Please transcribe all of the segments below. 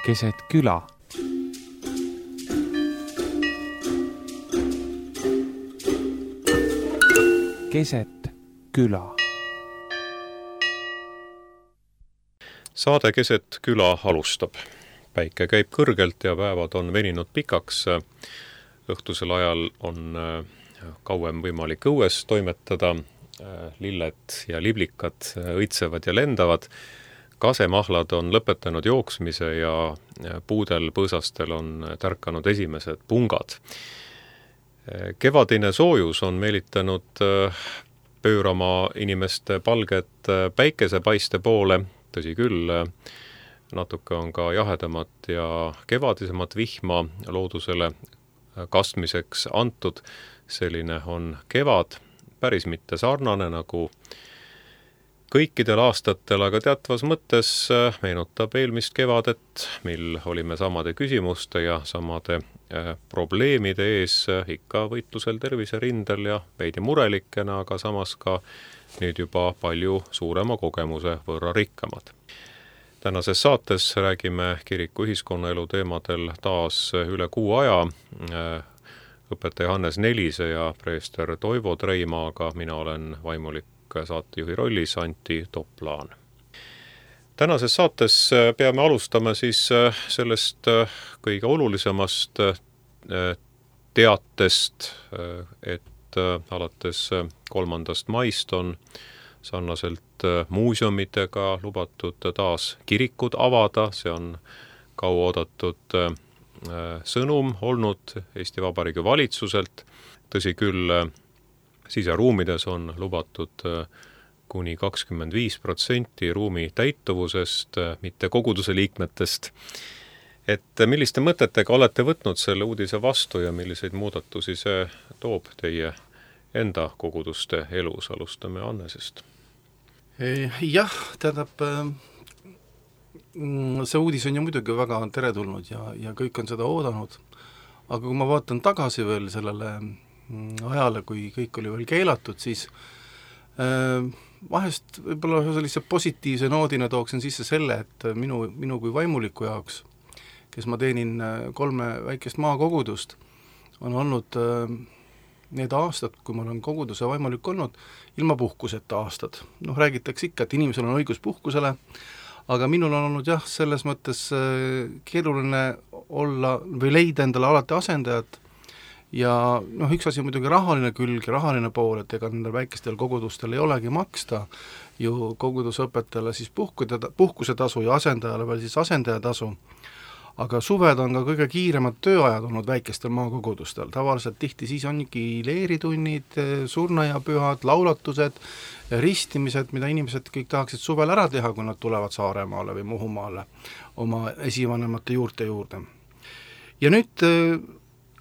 keset küla. Keset küla. Saade Keset küla alustab. Päike käib kõrgelt ja päevad on veninud pikaks. Õhtusel ajal on kauem võimalik õues toimetada. Lilled ja liblikad õitsevad ja lendavad. Kasemahlad on lõpetanud jooksmise ja puudel põõsastel on tärkanud esimesed pungad. Kevadine soojus on meelitanud pöörama inimeste palget päikesepaiste poole. Tõsi küll, natuke on ka jahedamat ja kevadisemat vihma loodusele kastmiseks antud. Selline on kevad, päris mitte sarnane nagu kõikidel aastatel, aga teatvas mõttes meenutab eelmist kevadet, mil olime samade küsimuste ja samade probleemide ees ikka võitlusel terviserindel ja veidi murelikena, aga samas ka nüüd juba palju suurema kogemuse võrra rikkamad. Tänases saates räägime kiriku ühiskonnaelu teemadel taas üle kuu aja. Õpetaja Hannes Nelise ja preester Toivo Treimaaga, mina olen vaimulik saatejuhi rollis Antti Toplaan. Tänases saates peame alustama siis sellest kõige olulisemast teatest, et alates 3. maist on sarnaselt muuseumidega lubatud taas kirikud avada. See on kaua oodatud sõnum olnud Eesti Vabariigi valitsuselt. Tõsi küll, siseruumides on lubatud kuni 25% ruumi täituvusest, mitte koguduse liikmetest. Et milliste mõtetega olete võtnud selle uudise vastu ja milliseid muudatusi see toob teie enda koguduste elus? Alustame Annesest. Jah, tähendab, see uudis on ju muidugi väga teretulnud ja kõik on seda oodanud. Aga kui ma vaatan tagasi veel sellele ajale, kui kõik oli veel keelatud, siis vahest võib-olla sellise positiivse noodina tooksin sisse selle, et minu kui vaimuliku jaoks, kes ma teenin 3 väikest maakogudust, on olnud need aastad, kui ma olen koguduse vaimulik olnud, ilma puhkuseta aastad. Räägitakse ikka, et inimesel on õigus puhkusele, aga minul on olnud jah, selles mõttes keeruline olla või leida endale alati asendajat. Ja üks asi on muidugi rahaline külg ja rahaline pool, et ega nendel väikestel kogudustel ei olegi maksta ju kogudusõpetajale siis puhkusetasu ja asendajale veel siis asendajatasu. Aga suved on ka kõige kiiremad tööajad olnud väikestel maakogudustel. Tavaliselt tihti siis ongi leeritunnid, surnuaiapühad, laulatused, ristimised, mida inimesed kõik tahaksid suvel ära teha, kui nad tulevad Saaremaale või Muhumaale oma esivanemate juurte juurde. Ja nüüd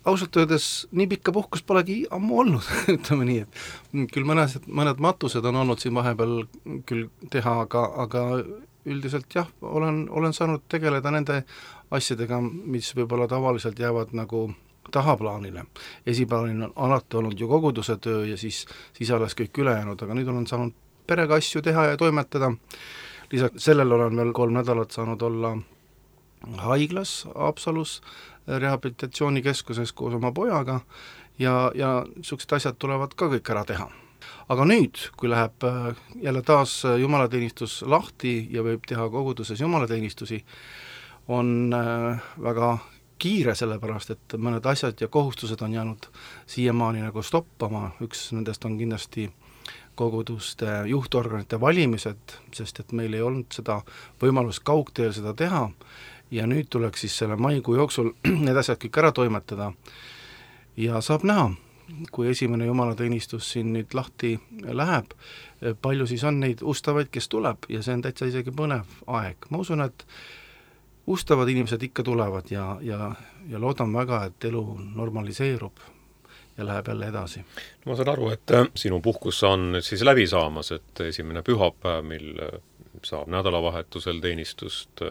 ausalt öeldes nii pikka puhkus polegi ammu olnud, ütleme nii, et küll mõned matused on olnud siin vahepeal küll teha, aga üldiselt jah, olen saanud tegeleda nende asjadega, mis võib-olla tavaliselt jäävad nagu tahaplaanile. Esiplaanil on alati olnud ju koguduse töö ja siis alles kõik ülejäänud, aga nüüd olen saanud perega asju teha ja toimetada. Lisaks sellel olen veel 3 nädalat saanud olla haiglas Haapsalus rehabilitatsioonikeskuses koos oma pojaga ja niisugused asjad tulevad ka kõik ära teha. Aga nüüd, kui läheb jälle taas jumalateenistus lahti ja võib teha koguduses jumalateenistusi, on väga kiire, sellepärast et mõned asjad ja kohustused on jäänud siiamaani nagu stoppama. Üks nendest on kindlasti koguduste juhtorganite valimised, sest et meil ei olnud seda võimalust kaugteel seda teha. Ja nüüd tuleks siis selle maikuu jooksul need asjad kõik ära toimetada. Ja saab näha, kui esimene jumalateenistus siin nüüd lahti läheb, palju siis on neid ustavaid, kes tuleb ja see on täitsa isegi põnev aeg. Ma usun, et ustavad inimesed ikka tulevad ja loodan väga, et elu normaliseerub ja läheb jälle edasi. Ma saan aru, et sinu puhkus on siis läbi saamas, et esimene pühapäev, mil saab nädalavahetusel teenistust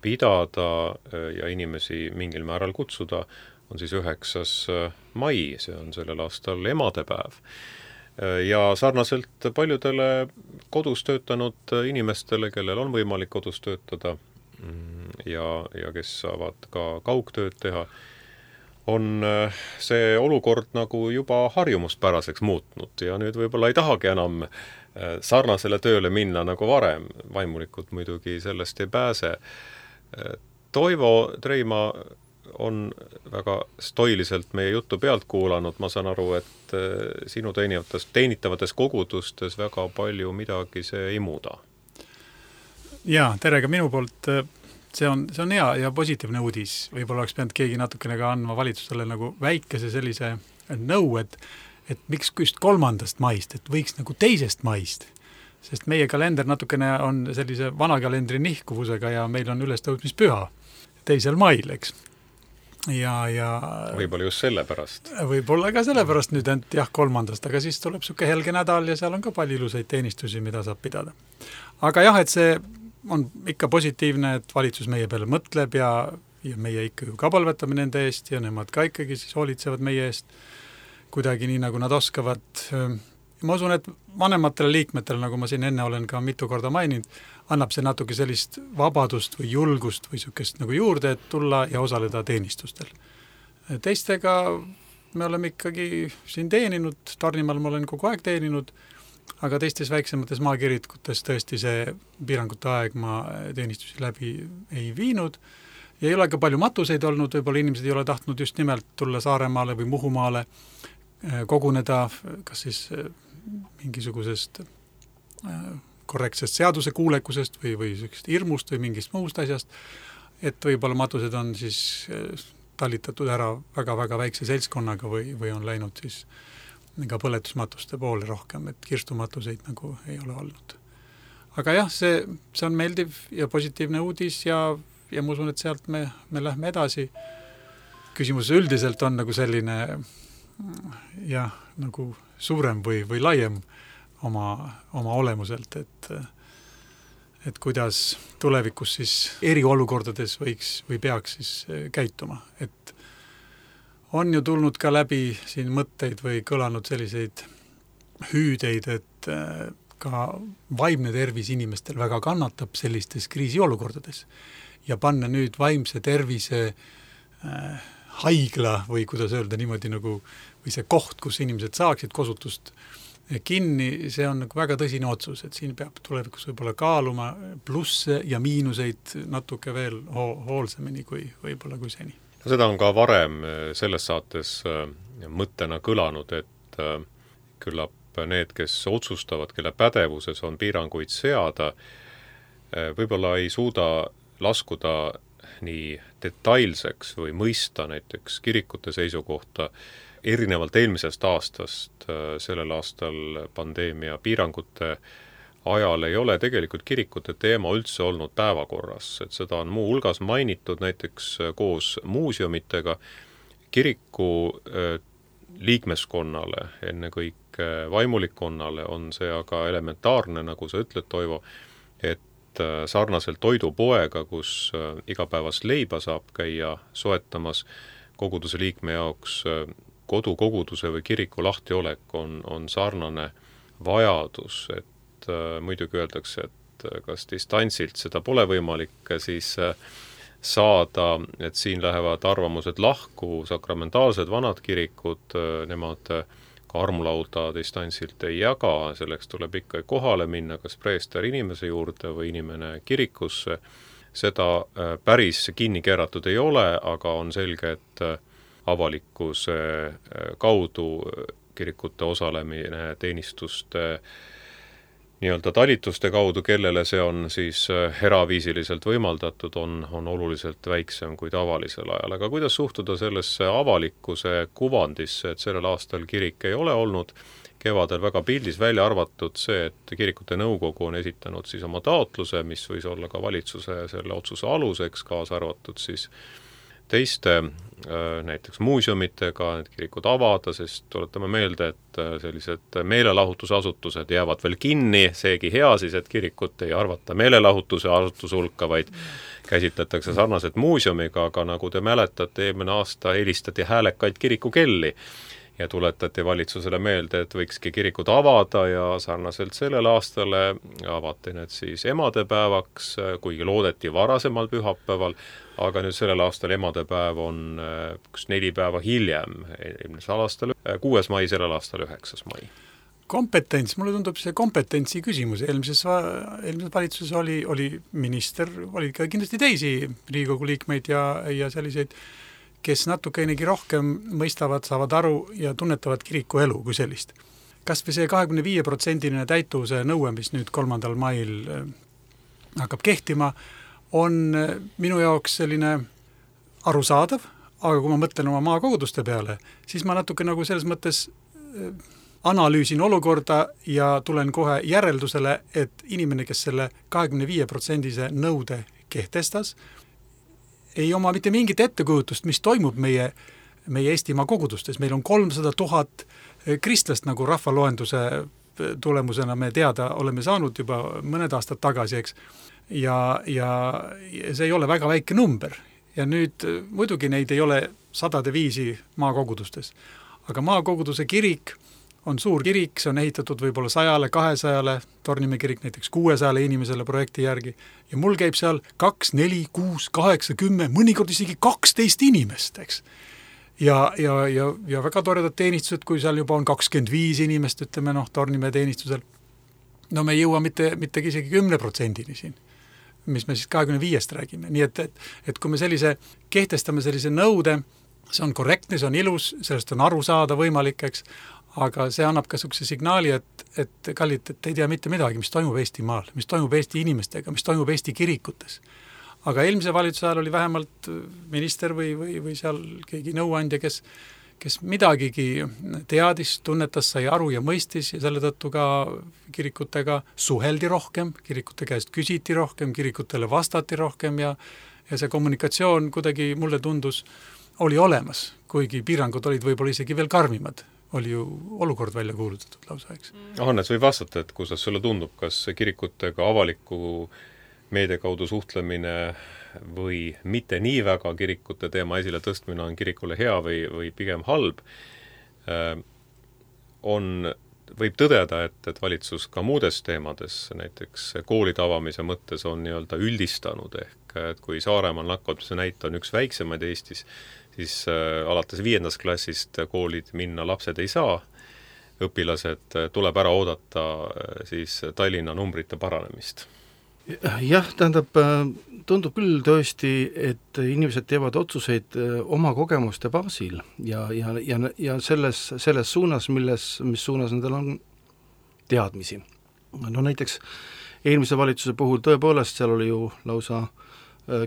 pidada ja inimesi mingil määral kutsuda, on siis 9. mai, see on sellel aastal emadepäev. Ja sarnaselt paljudele kodus töötanud inimestele, kellel on võimalik kodus töötada, ja kes saavad ka kaugtööd teha, on see olukord nagu juba harjumuspäraseks muutnud ja nüüd võib-olla ei tahagi enam sarnasele tööle minna nagu varem. Vaimulikud muidugi sellest ei pääse. Toivo Treima on väga stoiliselt meie juttu pealt kuulanud. Ma saan aru, et sinu teenitavates kogudustes väga palju midagi see ei muuda. Jaa, tere ka minu poolt. See on hea ja positiivne uudis. Võib-olla oleks pidanud keegi natukene ka andma valitsusele nagu väikese sellise nõu, et miks just 3. maist, et võiks nagu 2. maist. Sest meie kalender natukene on sellise vana kalendri nihkuvusega ja meil on ülestõusmispüha 2. mail, eks. Ja võib-olla just sellepärast. Võib-olla ka sellepärast nüüd, et jah, 3. aga siis tuleb suke helge nädal ja seal on ka palju ilusaid teenistusi, mida saab pidada. Aga jah, et see on ikka positiivne, et valitsus meie peale mõtleb ja meie ikka ju ka palvetame nende eest ja nemad ka ikkagi siis hoolitsevad meie eest kuidagi nii, nagu nad oskavad. Ma usun, et vanematele liikmetele, nagu ma siin enne olen ka mitu korda maininud, annab see natuke sellist vabadust või julgust või sükest nagu juurde, et tulla ja osaleda teenistustel. Teistega me oleme ikkagi siin teeninud, Tarnimaal ma olen kogu aeg teeninud, aga teistes väiksemates maakirikutes tõesti see piirangute aeg ma teenistusi läbi ei viinud ja ei ole ka palju matuseid olnud, võib-olla inimesed ei ole tahtnud just nimelt tulla Saaremaale või Muhumaale koguneda, kas siis mingisugusest korrektsest seaduse kuulekusest või hirmust või mingist muust asjast, et võib-olla matused on siis talitatud ära väga-väga väikse seltskonnaga või on läinud siis ka põletusmatuste poole rohkem, et kirstumatuseid nagu ei ole olnud. Aga jah, see on meeldiv ja positiivne uudis ja ma usun, et sealt me lähme edasi. Küsimus üldiselt on nagu selline jah, nagu suurem või laiem oma olemuselt, et kuidas tulevikus siis eriolukordades võiks või peaks siis käituma. Et on ju tulnud ka läbi siin mõtteid või kõlanud selliseid hüüdeid, et ka vaimne tervis inimestel väga kannatab sellistes kriisiolukordades ja panna nüüd vaimse tervise haigla või kuidas öelda niimoodi nagu, või see koht, kus inimesed saaksid kosutust kinni, see on nagu väga tõsine otsus, et siin peab tulevikus võib-olla kaaluma plusse ja miinuseid natuke veel hoolsemini kui võib-olla kui seni. Seda on ka varem selles saates mõttena kõlanud, et küllap need, kes otsustavad, kelle pädevuses on piiranguid seada, võib-olla ei suuda laskuda nii detailseks või mõista näiteks kirikute seisukohta. Erinevalt eelmisest aastast, sellel aastal pandeemia piirangute ajal ei ole tegelikult kirikute teema üldse olnud päevakorras, et seda on muu hulgas mainitud näiteks koos muuseumitega. Kiriku liikmeskonnale, ennekõike vaimulikkonnale on see aga elementaarne, nagu sa ütled, Toivo, et sarnaselt toidupoega, kus igapäevast leiba saab käia soetamas koguduse liikme jaoks kodukoguduse või kiriku lahtiolek on sarnane vajadus, et muidugi öeldakse, et kas distantsilt seda pole võimalik siis saada, et siin lähevad arvamused lahku, sakramentaalsed vanad kirikud, nemad ka armulauda distantsilt ei jaga, selleks tuleb ikka kohale minna, kas preester inimese juurde või inimene kirikusse. Seda päris kinni keeratud ei ole, aga on selge, et avalikkuse kaudu kirikute osalemine teenistuste nii-öelda talituste kaudu, kellele see on siis eraviisiliselt võimaldatud, on oluliselt väiksem kui tavalisel ajal. Aga kuidas suhtuda sellesse avalikkuse kuvandisse, et sellel aastal kirik ei ole olnud kevadel väga pildis välja arvatud see, et kirikute nõukogu on esitanud siis oma taotluse, mis võis olla ka valitsuse selle otsuse aluseks, kaasa arvatud siis teiste näiteks muuseumitega need kirikud avada, sest tuletame meelde, et sellised meelelahutusasutused jäävad veel kinni, seegi hea siis, et kirikut ei arvata meelelahutuse asutuse hulka, vaid käsitletakse sarnaselt muuseumiga, aga nagu te mäletate, eelmine aasta helistati häälekaid kirikukelli ja tuletati valitsusele meelde, et võikski kirikud avada ja sarnaselt sellele aastale avati need siis emadepäevaks, kuigi loodeti varasemal pühapäeval, aga nüüd sellel aastal emadepäev on 4 päeva hiljem, eelmisel aastal 6. mai, sellel aastal 9. mai. Kompetents, mulle tundub see kompetentsi küsimus. Eelmises valitsuses oli minister, oli ka kindlasti teisi Riigikogu liikmeid ja selliseid, kes natukeinegi rohkem mõistavad, saavad aru ja tunnetavad kiriku elu kui sellist. Kas või see 25% täituvuse nõue, mis nüüd 3. mail hakkab kehtima, on minu jaoks selline arusaadav, aga kui ma mõtlen oma maakoguduste peale, siis ma natuke nagu selles mõttes analüüsin olukorda ja tulen kohe järeldusele, et inimene, kes selle 25% nõude kehtestas, ei oma mitte mingit ettekujutust, mis toimub meie Eestimaa kogudustes. Meil on 300 000 kristlast, nagu rahvaloenduse tulemusena me teada oleme saanud juba mõned aastad tagasi, eks. Ja see ei ole väga väike number. Ja nüüd muidugi neid ei ole 100 maakogudustes. Aga maakoguduse kirik on suur kirik, see on ehitatud võib-olla 100, 200, Tornimäe kirik näiteks 600 inimesele projekti järgi. Ja mul käib seal 2, 4, 6, 8, 10, mõnikord isegi 12 inimest, eks. Ja väga toredad teenistused, kui seal juba on 25 inimest, ütleme Tornimäe teenistusel. No me ei jõua mitte isegi 10% siin, mis me siis 25 räägime. Nii et kui me kehtestame sellise nõude, see on korrektne, see on ilus, sellest on aru saada võimalik, eks. Aga see annab ka sellise signaali, et kallid, et ei tea mitte midagi, mis toimub Eestimaal, mis toimub Eesti inimestega, mis toimub Eesti kirikutes. Aga eelmise valitsuse ajal oli vähemalt minister või seal keegi nõuandja, kes midagigi teadis, tunnetas, sai aru ja mõistis ja selle tõttu ka kirikutega suheldi rohkem, kirikute käest küsiti rohkem, kirikutele vastati rohkem ja see kommunikatsioon kuidagi mulle tundus oli olemas, kuigi piirangud olid võib-olla isegi veel karmimad. Oli ju olukord välja kuulutatud lausa, eks. Hannes, või vastata, et kuidas sulle tundub, kas kirikutega avaliku meedia kaudu suhtlemine või mitte nii väga kirikute teema esile tõstmine on kirikule hea või pigem halb, võib tõdeda, et valitsus ka muudes teemades, näiteks koolide avamise mõttes on nii-öelda üldistanud ehk, et kui Saaremaal nakatumise näite on üks väiksemaid Eestis, siis alates 5. klassist koolid minna lapsed ei saa, õpilased tuleb ära oodata siis Tallinna numbrite paranemist. Jah, tähendab, tundub küll tõesti, et inimesed teevad otsuseid oma kogemuste baasil ja selles suunas, mis suunas nendel on teadmisi. No näiteks eelmise valitsuse puhul tõepoolest seal oli ju lausa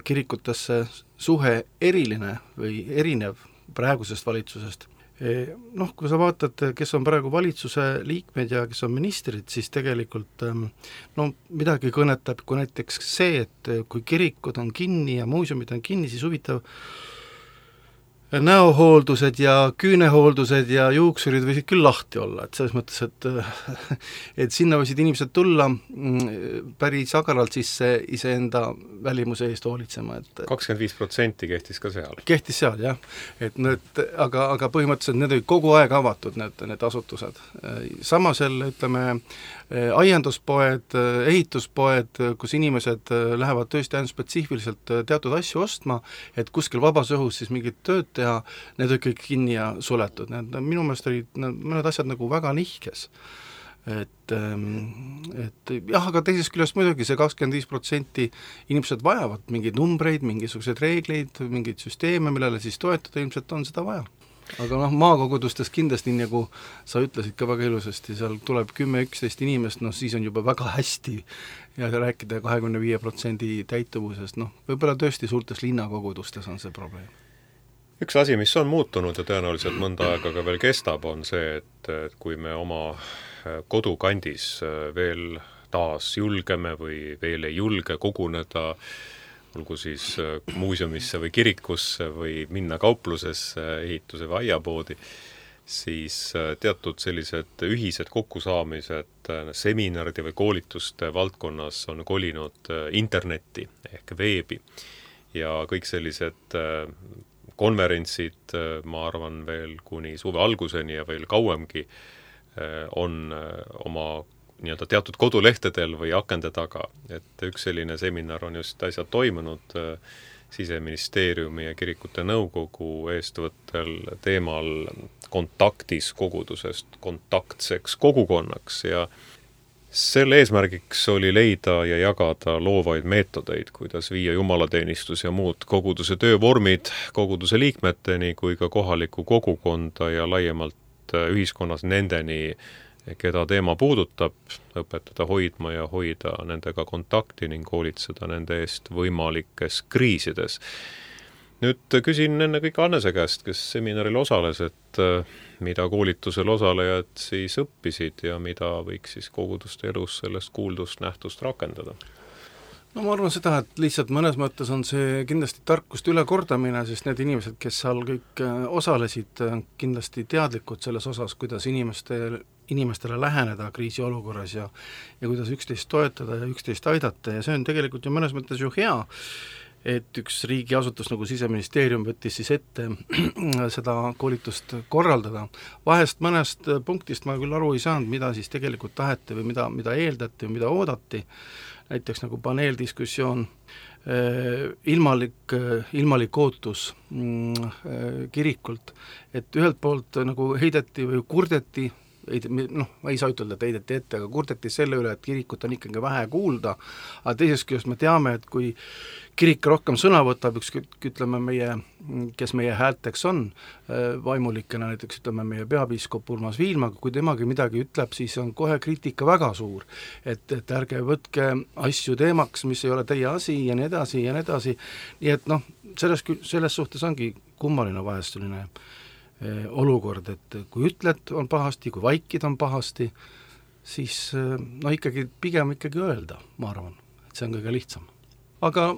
kirikutesse suhe eriline või erinev praegusest valitsusest. Kui sa vaatad, kes on praegu valitsuse liikmed ja kes on ministrid, siis tegelikult midagi kõnetab, kui näiteks see, et kui kirikud on kinni ja muuseumid on kinni, siis huvitav näohooldused ja küünehooldused ja juuksurid võisid küll lahti olla, et selles mõttes, et sinna võisid inimesed tulla päris agaralt sisse iseenda välimuse eest hoolitsema. 25% kehtis ka seal. Kehtis seal, jah. Aga põhimõtteliselt need olid kogu aeg avatud, need asutused. Samasel, ütleme, aianduspoed, ehituspoed, kus inimesed lähevad tõesti ainult spetsiifiliselt teatud asju ostma, et kuskil vabas õhus siis mingit tööd teha, need olid kõik kinni ja suletud. Minu meelest olid mõned asjad nagu väga nihkes. Et jah, aga teisest küljest muidugi see 25% inimesed vajavad mingeid numbreid, mingisuguseid reegleid, mingeid süsteeme, millele siis toetada, ilmselt on seda vaja. Aga maakogudustes kindlasti, nagu sa ütlesid ka väga ilusasti, seal tuleb 10-11 inimest, siis on juba väga hästi ja rääkida 25% täituvusest, võib-olla tõesti suurtes linnakogudustes on see probleem. Üks asi, mis on muutunud ja tõenäoliselt mõnda aega ka veel kestab, on see, et kui me oma kodukandis veel taas julgeme või veel ei julge koguneda, olgu siis muuseumisse või kirikusse või minna kauplusesse, ehituse või aiapoodi, siis teatud sellised ühised kokkusaamised seminaride või koolituste valdkonnas on kolinud internetti ehk veebi ja kõik sellised konverentsid, ma arvan veel kuni suve alguseni ja veel kauemgi, on oma nii-öelda teatud kodulehtedel või akende taga. Et üks selline seminar on just äsja toimunud Siseministeeriumi ja kirikute nõukogu eestvõttel teemal kontaktis kogudusest kontaktseks kogukonnaks ja selle eesmärgiks oli leida ja jagada loovaid meetodeid, kuidas viia jumalateenistus ja muud koguduse töövormid koguduse liikmeteni kui ka kohalikku kogukonda ja laiemalt ühiskonnas nendeni, keda teema puudutab, õpetada hoidma ja hoida nendega kontakti ning hoolitseda nende eest võimalikes kriisides. Nüüd küsin enne kõik Annese käest, kes seminaril osales, et mida koolitusel osalejad siis õppisid ja mida võiks siis koguduste elus sellest kuuldust nähtust rakendada? No ma arvan seda, et lihtsalt mõnes mõttes on see kindlasti tarkuste ülekordamine, sest need inimesed, kes seal kõik osalesid, kindlasti teadlikud selles osas, kuidas inimestele läheneda kriisiolukorras ja kuidas üksteist toetada ja üksteist aidata ja see on tegelikult ju mõnes mõttes ju hea, et üks riigiasutus nagu Siseministeerium võttis siis ette seda koolitust korraldada. Vahest mõnest punktist ma küll aru ei saanud, mida siis tegelikult taheti või mida eeldati või mida oodati, näiteks nagu paneeldiskussioon, ilmalik ootus kirikult, et ühelt poolt nagu heideti või kurdeti, ma ei saa ütelda, et heideti ette, aga kurdeti selle üle, et kirikut on ikkagi vähe kuulda, aga teisest küljest me teame, et kui kirik rohkem sõna võtab, ütleme kes meie häälteks on vaimulikena, näiteks ütleme meie peapiiskop Urmas Viilma, kui temagi midagi ütleb, siis on kohe kriitika väga suur, et ärge võtke asju teemaks, mis ei ole teie asi ja nii edasi ja nii edasi, nii et selles suhtes ongi kummaline vahest selline olukord, et kui ütled, on pahasti, kui vaikid on pahasti, siis pigem öelda, ma arvan, et see on kõige lihtsam. Aga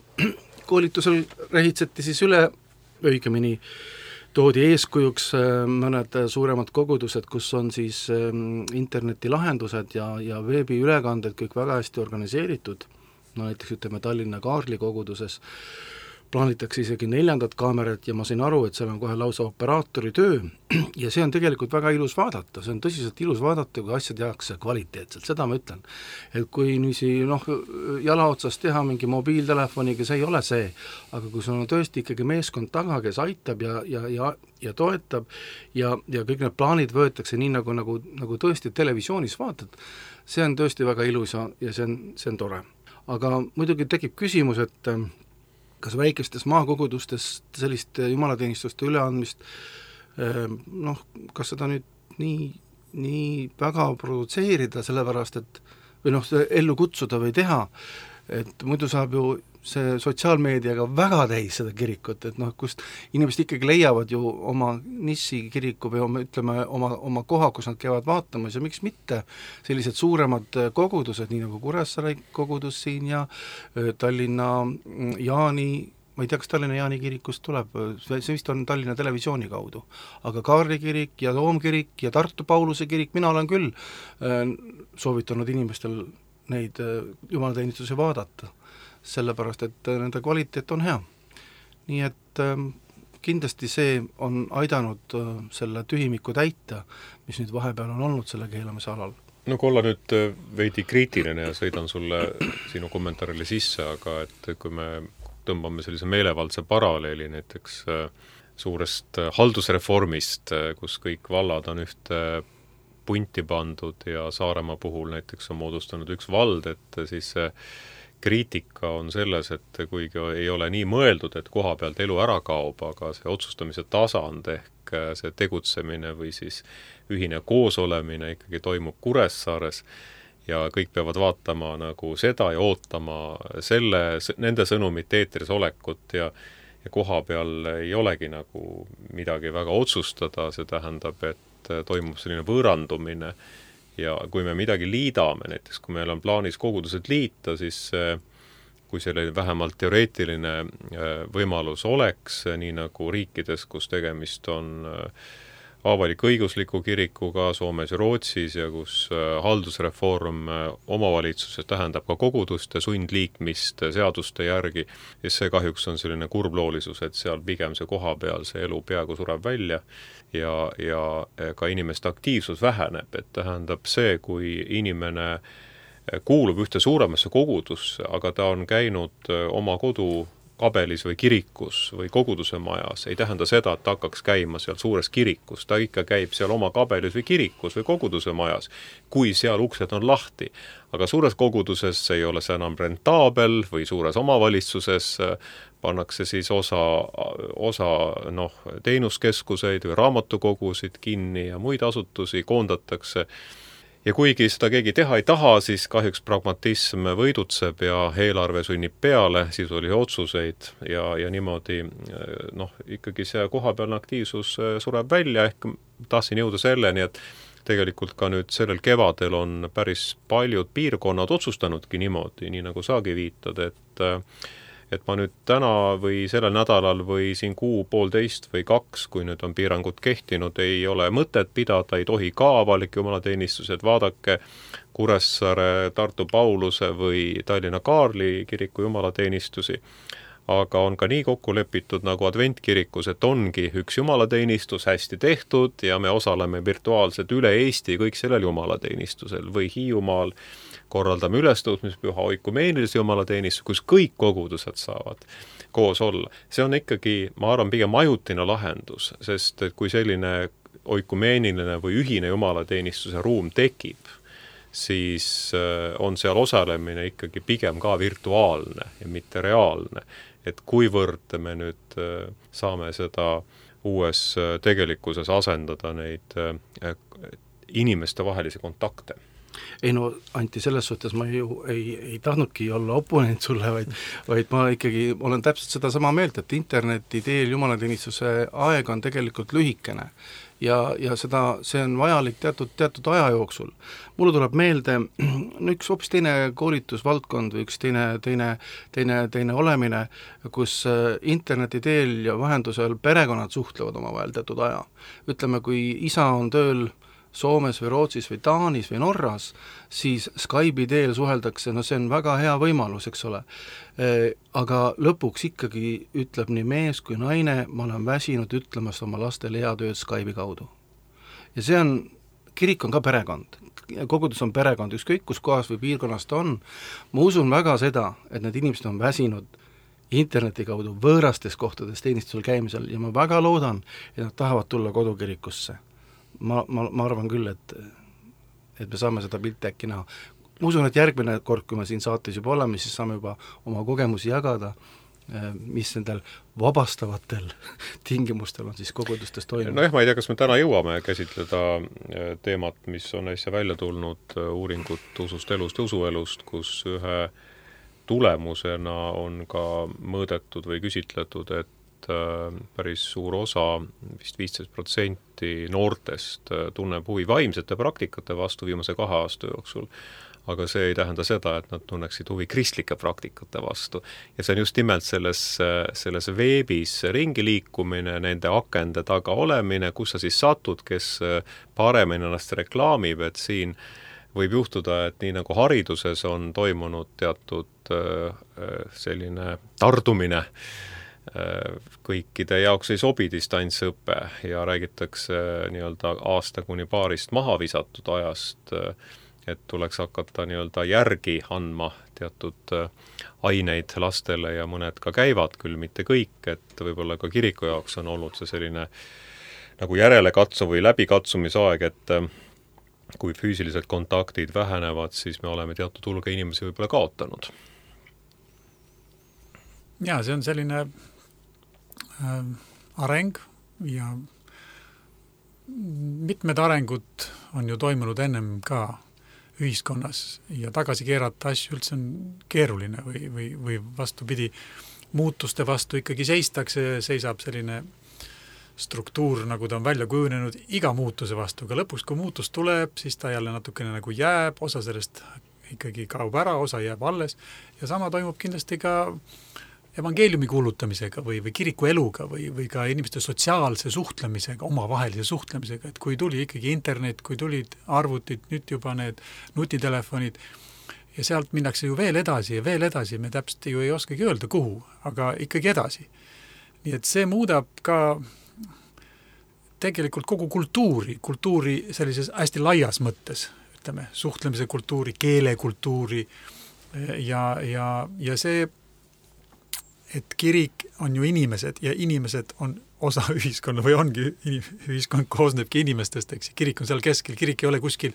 koolitusel rehitseti siis üle, õigemini toodi eeskujuks mõned suuremad kogudused, kus on siis internetilahendused ja veebiülekanded kõik väga hästi organiseeritud, näiteks ütleme Tallinna Kaarli koguduses plaanitakse isegi 4. kaamerat ja ma sain aru, et seal on kohe lausa operaatori töö ja see on tegelikult väga ilus vaadata, see on tõsiselt ilus vaadata, kui asjad tehakse kvaliteetselt, seda ma ütlen. Et kui jala otsast teha mingi mobiiltelefoniga, see ei ole see, aga kui sul on tõesti ikkagi meeskond taga, kes aitab ja toetab ja kõik need plaanid võetakse nii, nagu tõesti televisioonis vaatad, see on tõesti väga ilus ja see on tore. Aga muidugi tekib küsimus, et kas väikestes maakogudustes sellist jumalateenistuste üleandmist, kas seda nüüd nii väga produtseerida, sellepärast et või ellu kutsuda või teha, et muidu saab ju see sotsiaalmeediaga väga täis seda kirikut, et kust inimesed ikkagi leiavad ju oma nissi kiriku või oma koha, kus nad käivad vaatamas ja miks mitte sellised suuremad kogudused, nii nagu Kuressaare kogudus siin ja Tallinna Jaani, ma ei tea, kas Tallinna Jaani kirikust tuleb, see vist on Tallinna Televisiooni kaudu, aga Kaarli kirik ja Toomkirik ja Tartu Pauluse kirik, mina olen küll soovitanud inimestel neid jumalateenistusi vaadata, sellepärast, et nende kvaliteet on hea. Nii et kindlasti see on aidanud selle tühimiku täita, mis nüüd vahepeal on olnud selle keelamise alal. No kui olla nüüd veidi kriitiline ja sõidan sulle sinu kommentaarile sisse, aga et kui me tõmbame sellise meelevaldse paralleeli näiteks suurest haldusreformist, kus kõik vallad on ühte punti pandud ja Saaremaa puhul näiteks on moodustanud üks vald, et siis kriitika on selles, et kuigi ei ole nii mõeldud, et koha pealt elu ära kaob, aga see otsustamise tasand ehk see tegutsemine või siis ühine koosolemine ikkagi toimub Kuressaares ja kõik peavad vaatama nagu seda ja ootama nende sõnumit eetris olekut ja koha peal ei olegi nagu midagi väga otsustada, see tähendab, et toimub selline võõrandumine ja kui me midagi liidame, näiteks kui meil on plaanis kogudused liita, siis kui selline vähemalt teoreetiline võimalus oleks, nii nagu riikides, kus tegemist on avalik-õigusliku kirikuga Soomes ja Rootsis ja kus haldusreform omavalitsuses tähendab ka koguduste sundliikmist seaduste järgi, ja see kahjuks on selline kurbloolisus, et seal pigem see kohapeal see elu peaaegu sureb välja ja ka inimeste aktiivsus väheneb, et tähendab see, kui inimene kuulub ühte suuremasse kogudusse, aga ta on käinud oma kodu kabelis või kirikus või koguduse majas, ei tähenda seda, et ta hakkaks käima seal suures kirikus, ta ikka käib seal oma kabelis või kirikus või koguduse majas, kui seal uksed on lahti. Aga suures koguduses ei ole see enam rentaabel või suures omavalitsuses pannakse siis osa teenuskeskuseid või raamatukogusid kinni ja muid asutusi koondatakse. Ja kuigi seda keegi teha ei taha, siis kahjuks pragmatism võidutseb ja eelarve sunnib peale sisulisi otsuseid ja niimoodi ikkagi see kohapealne aktiivsus sureb välja, ehk tahtsin jõuda selleni, et tegelikult ka nüüd sellel kevadel on päris paljud piirkonnad otsustanudki niimoodi, nii nagu saagi viitad, et ma nüüd täna või sellel nädalal või siin kuu, poolteist või 2, kui nüüd on piirangud kehtinud, ei ole mõtet pidada, ei tohi ka avalik jumalateenistused, vaadake Kuressaare, Tartu Pauluse või Tallinna Kaarli kiriku jumalateenistusi, aga on ka nii kokku lepitud nagu adventkirikus, et ongi üks jumalateenistus hästi tehtud ja me osaleme virtuaalselt üle Eesti kõik sellel jumalateenistusel või Hiiumaal korraldame ülestõusmispüha oikumeenilise jumalateenistuse, kus kõik kogudused saavad koos olla. See on ikkagi, ma arvan, pigem ajutine lahendus, sest kui selline oikumeeniline või ühine jumalateenistuse ruum tekib, siis on seal osalemine ikkagi pigem ka virtuaalne ja mitte reaalne. Et kuivõrd me nüüd saame seda uues tegelikkuses asendada neid inimeste vahelisi kontakte. Ei no, Anti, selles suhtes ma ju ei tahtnudki olla oponent sulle, vaid ma ikkagi olen täpselt seda sama meelt, et interneti teel jumalateenistuse aeg on tegelikult lühikene ja see on vajalik teatud aja jooksul. Mulle tuleb meelde üks hoopis teine koolitusvaldkond või üks teine olemine, kus interneti teel ja vahendusel perekonnad suhtlevad omavahel teatud aja. Ütleme, kui isa on tööl Soomes või Rootsis või Taanis või Norras, siis Skype'i teel suheldakse, see on väga hea võimalus, eks ole. Aga lõpuks ikkagi ütleb nii mees kui naine, ma olen väsinud ütlemast oma lastele head ööd Skype'i kaudu. Ja see on, kirik on ka perekond, kogudus on perekond, ükskõik kus kohas või piirkonnas ta on. Ma usun väga seda, et need inimesed on väsinud interneti kaudu võõrastes kohtades teenistusel käimisel ja ma väga loodan, et nad tahavad tulla kodukirikusse. Ma arvan küll, et me saame seda pilti äkki näha. Ma usun, et järgmine kord, kui me siin saates juba oleme, siis saame juba oma kogemusi jagada, mis nendel vabastavatel tingimustel on siis kogudustes toimunud. Nojah, ma ei tea, kas me täna jõuame käsitleda teemat, mis on äsja välja tulnud, uuringut usust elust ja usuelust, kus ühe tulemusena on ka mõõdetud või küsitletud, et päris suur osa, vist 15% noortest tunneb huvi vaimsete praktikate vastu viimase 2 aasta jooksul, aga see ei tähenda seda, et nad tunneksid huvi kristlike praktikate vastu. Ja see on just nimelt selles veebis ringi liikumine, nende akende taga olemine, kus sa siis satud, kes paremini ennast reklaamib, et siin võib juhtuda, et nii nagu hariduses on toimunud teatud selline tardumine, kõikide jaoks ei sobi distantsõpe ja räägitakse nii-öelda aasta kuni paarist maha visatud ajast, et tuleks hakata nii-öelda järgi andma teatud aineid lastele ja mõned ka käivad, küll mitte kõik, et võib-olla ka kiriku jaoks on olnud see selline nagu järelekatsu või läbikatsumisaeg, et kui füüsilised kontaktid vähenevad, siis me oleme teatud hulga inimesi võib-olla kaotanud. Ja, see on selline areng ja mitmed arengud on ju toimunud ennem ka ühiskonnas ja tagasi keerata asju üldse on keeruline või vastupidi, muutuste vastu ikkagi seisab selline struktuur, nagu ta on välja kujunenud iga muutuse vastu, aga lõpuks, kui muutus tuleb, siis ta jälle natukene nagu jääb, osa sellest ikkagi kaob ära, osa jääb alles ja sama toimub kindlasti ka evangeeliumi kuulutamisega või kiriku eluga või ka inimeste sotsiaalse suhtlemisega, omavahelise suhtlemisega, et kui tuli ikkagi internet, kui tulid arvutid, nüüd juba need nutitelefonid ja sealt minnakse ju veel edasi, me täpselt ju ei oskagi öelda kuhu, aga ikkagi edasi. Nii et see muudab ka tegelikult kogu kultuuri sellises hästi laias mõttes, ütleme, suhtlemise kultuuri, keelekultuuri ja see, et kirik on ju inimesed ja inimesed on osa ühiskonna või ongi, ühiskond koosnebki inimestest, eks, kirik on seal keskel, kirik ei ole kuskil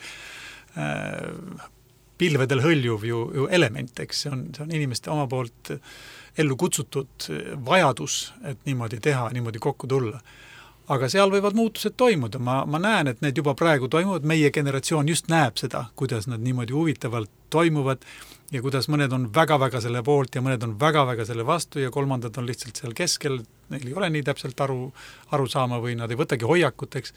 pilvedel hõljuv ju element, eks, see on inimeste oma poolt ellu kutsutud vajadus, et niimoodi teha, niimoodi kokku tulla. Aga seal võivad muutused toimuda, ma näen, et need juba praegu toimuvad, meie generatsioon just näeb seda, kuidas nad niimoodi huvitavalt toimuvad ja kuidas mõned on väga-väga selle poolt ja mõned on väga-väga selle vastu ja kolmandad on lihtsalt seal keskel, neil ei ole nii täpselt aru saama või nad ei võtagi hoiakuteks,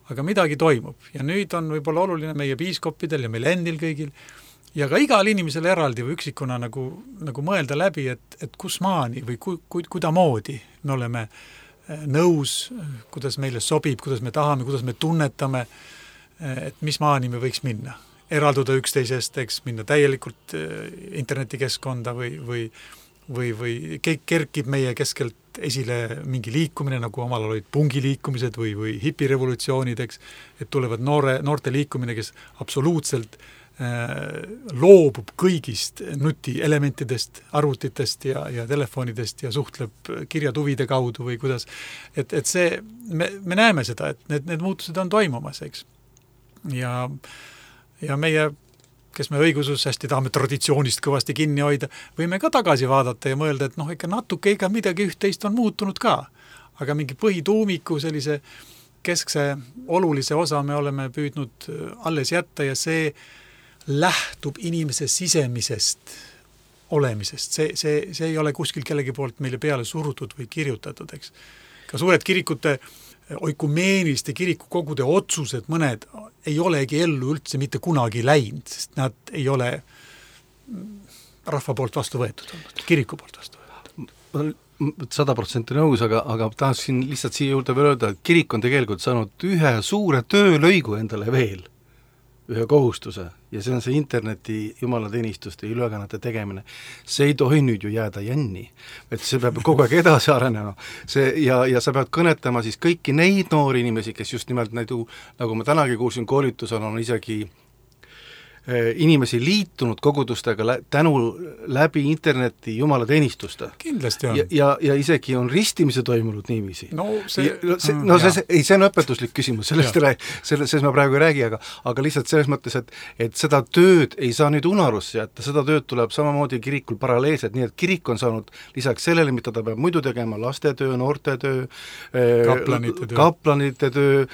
aga midagi toimub. Ja nüüd on võib-olla oluline meie piiskoppidel ja meil endil kõigil ja ka igal inimesel eraldi või üksikuna nagu mõelda läbi, et kus maani või kudamoodi me oleme nõus, kuidas meile sobib, kuidas me tahame, kuidas me tunnetame, et mis maani me võiks minna. Eralduda üksteisest, eks, minna täielikult internetikeskkonda või kerkib meie keskelt esile mingi liikumine, nagu omal olid pungiliikumised või hipirevolutsioonid, eks, et tulevad noorte liikumine, kes absoluutselt loobub kõigist nutielementidest, arvutitest ja telefonidest ja suhtleb kirjatuvide kaudu või kuidas, et see, me näeme seda, et need muutused on toimumas, eks. Ja meie, kes me õigusus hästi tahame traditsioonist kõvasti kinni hoida, võime ka tagasi vaadata ja mõelda, et ikka natuke midagi üht-teist on muutunud ka, aga mingi põhituumiku sellise keskse olulise osa me oleme püüdnud alles jätta ja see lähtub inimese sisemisest olemisest. See ei ole kuskil kellegi poolt meile peale surutud või kirjutatud, eks. Ka suured kirikute, oikumeeniliste kirikukogude otsused, mõned ei olegi ellu üldse mitte kunagi läinud, sest nad ei ole rahva poolt vastu võetud olnud, kiriku poolt vastu võetud. Ma olen 100% nõus, aga tahaksin lihtsalt siia juurde veel öelda, et kirik on tegelikult saanud ühe suure töölõigu endale veel, ühe kohustuse, ja see on see interneti jumalateenistuste ja ülekannete tegemine. See ei tohi nüüd ju jääda jänni, et see peab kogu aeg edasi arenema. Ja sa pead kõnetama siis kõiki neid noori inimesi, kes just nimelt nagu ma tänagi kuulsin koolitusel, on isegi inimesi liitunud kogudustega tänu läbi interneti jumalateenistuste. Kindlasti on. Ja isegi on ristimise toimunud niiviisi. See on õpetuslik küsimus, sellest ma praegu ei räägi, aga lihtsalt selles mõttes, et seda tööd ei saa nüüd unarusse jätta, seda tööd tuleb samamoodi kirikul paralleelselt, nii et kirik on saanud lisaks sellele, mida ta peab muidu tegema, lastetöö, noortetöö, kaplanite töö,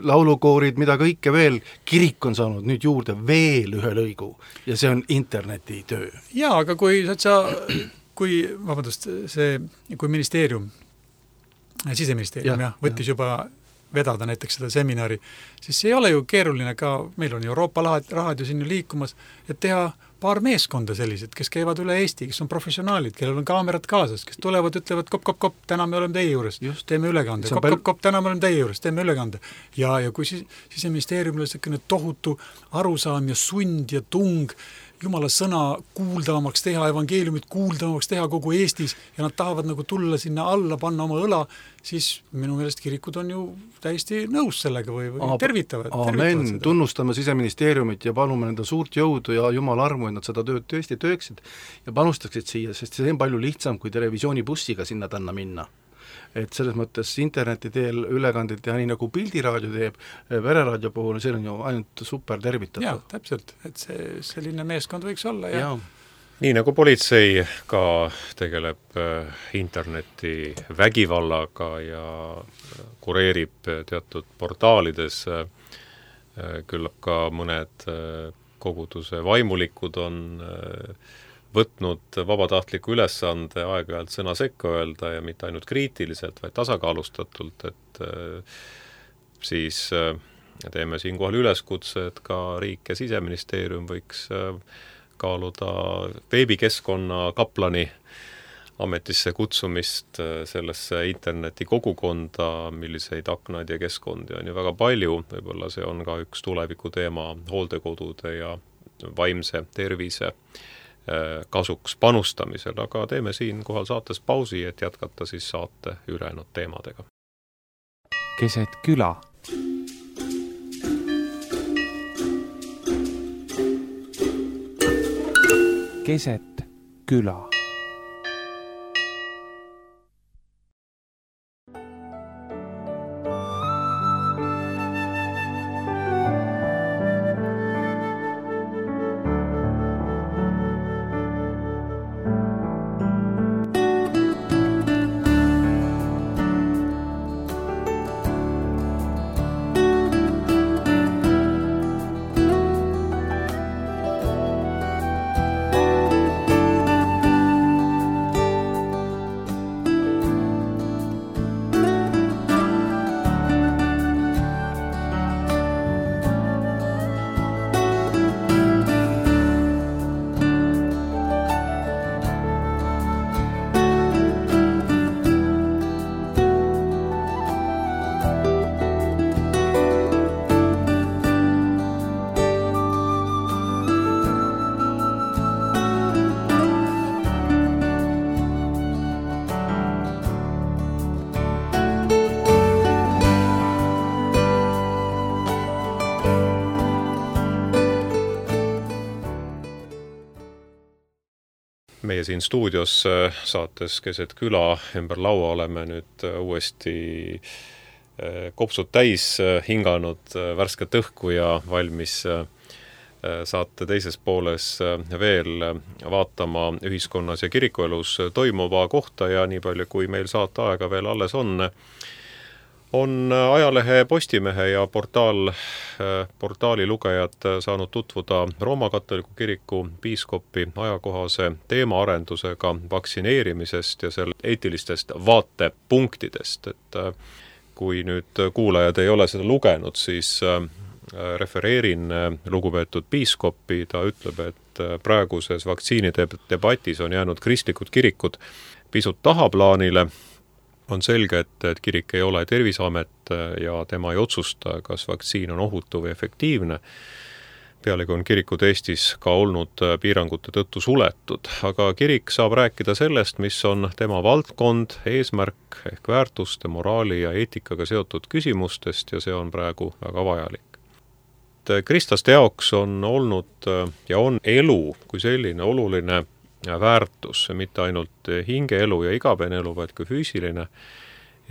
laulukoorid, mida kõike veel, kirik on saanud nüüd juurde veel ühe lõigu ja see on interneti töö. Jaa, aga kui ministeerium, siseministeerium võttis juba vedada näiteks seda seminari, siis see ei ole ju keeruline ka, meil on Euroopa rahad ju siin liikumas, et teha paar meeskonda sellised, kes käivad üle Eesti, kes on professionaalid, kellel on kaamerad kaasas, kes tulevad, ütlevad kop, täna me oleme teie juures, teeme ülekande, kop, täna me oleme teie juures, teeme ülekande. Ja kui siseministeeriumil on selline tohutu arusaam ja sund ja tung Jumala sõna kuuldavamaks teha, evangeeliumit kuuldavamaks teha kogu Eestis ja nad tahavad nagu tulla sinna alla, panna oma õla, siis minu meelest kirikud on ju täiesti nõus sellega või tervitavad. Amen, tunnustame siseministeeriumit ja palume nende suurt jõudu ja Jumala armu, et nad seda tööd tõesti tööksid ja panustaksid siia, sest see on palju lihtsam kui televisioonibussiga sinna tänna minna. Et selles mõttes interneti teel ülekanded teha nii nagu Pildiraadio teeb, Vereraadio puhul, see on ju ainult super tervitatud. Jaa, täpselt, et selline meeskond võiks olla. Ja. Nii nagu politsei ka tegeleb interneti vägivallaga ja kureerib teatud portaalides, küllap ka mõned koguduse vaimulikud on võtnud vabatahtliku ülesande aeg-ajalt sõna sekka öelda ja mitte ainult kriitiliselt, vaid tasakaalustatult, et siis teeme siinkohal üleskutse, et ka riik ja siseministeerium võiks kaaluda veebikeskkonna kaplani ametisse kutsumist sellesse interneti kogukonda, milliseid aknaid ja keskkondi on ju väga palju, võib-olla see on ka üks tuleviku teema hooldekodude ja vaimse tervise kasuks panustamisel, aga teeme siinkohal saates pausi, et jätkata siis saate ülejäänud teemadega. Keset küla. Keset küla. Meie siin stuudios saates Keset küla ümber laua oleme nüüd uuesti kopsud täis hinganud värsket õhku ja valmis saate teises pooles veel vaatama ühiskonnas ja kirikuelus toimuva kohta ja nii palju, kui meil saate aega veel alles on ajalehe Postimehe ja portaali lugejad saanud tutvuda Rooma katoliku kiriku piiskopi ajakohase teemaarendusega vaktsineerimisest ja selle eetilistest vaatepunktidest. Et kui nüüd kuulajad ei ole seda lugenud, siis refereerin lugupeetud piiskopi, ta ütleb, et praeguses vaktsiinidebatis on jäänud kristlikud kirikud pisut tahaplaanile. On selge, et kirik ei ole Terviseamet ja tema ei otsusta, kas vaktsiin on ohutu või efektiivne. Pealegi on kirikud Eestis ka olnud piirangute tõttu suletud, aga kirik saab rääkida sellest, mis on tema valdkond, eesmärk ehk väärtuste, moraali ja eetikaga seotud küsimustest ja see on praegu väga vajalik. Kristlaste jaoks on olnud ja on elu kui selline oluline väärtus, mitte ainult hingeelu ja igapäevane elu, vaid ka füüsiline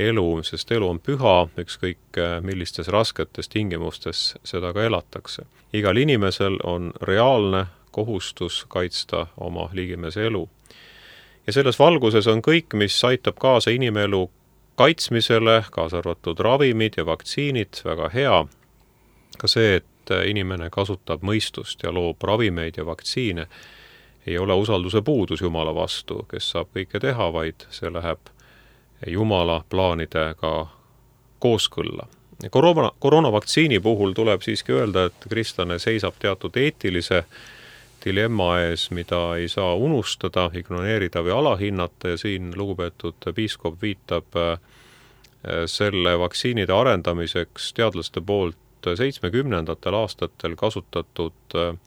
elu, sest elu on püha, ükskõik millistes rasketes tingimustes seda ka elatakse. Igal inimesel on reaalne kohustus kaitsta oma liigimese elu. Ja selles valguses on kõik, mis aitab kaasa inimelu kaitsmisele, kaasa arvatud ravimid ja vaktsiinid, väga hea. Ka see, et inimene kasutab mõistust ja loob ravimeid ja vaktsiine, ei ole usalduse puudus Jumala vastu, kes saab kõike teha, vaid see läheb Jumala plaanidega kooskõlla. Koroonavaktsiini puhul tuleb siiski öelda, et kristlane seisab teatud eetilise dilemma ees, mida ei saa unustada, ignoreerida või alahinnata ja siin lugupeetud piiskop viitab selle vaktsiinide arendamiseks teadlaste poolt 70. aastatel kasutatud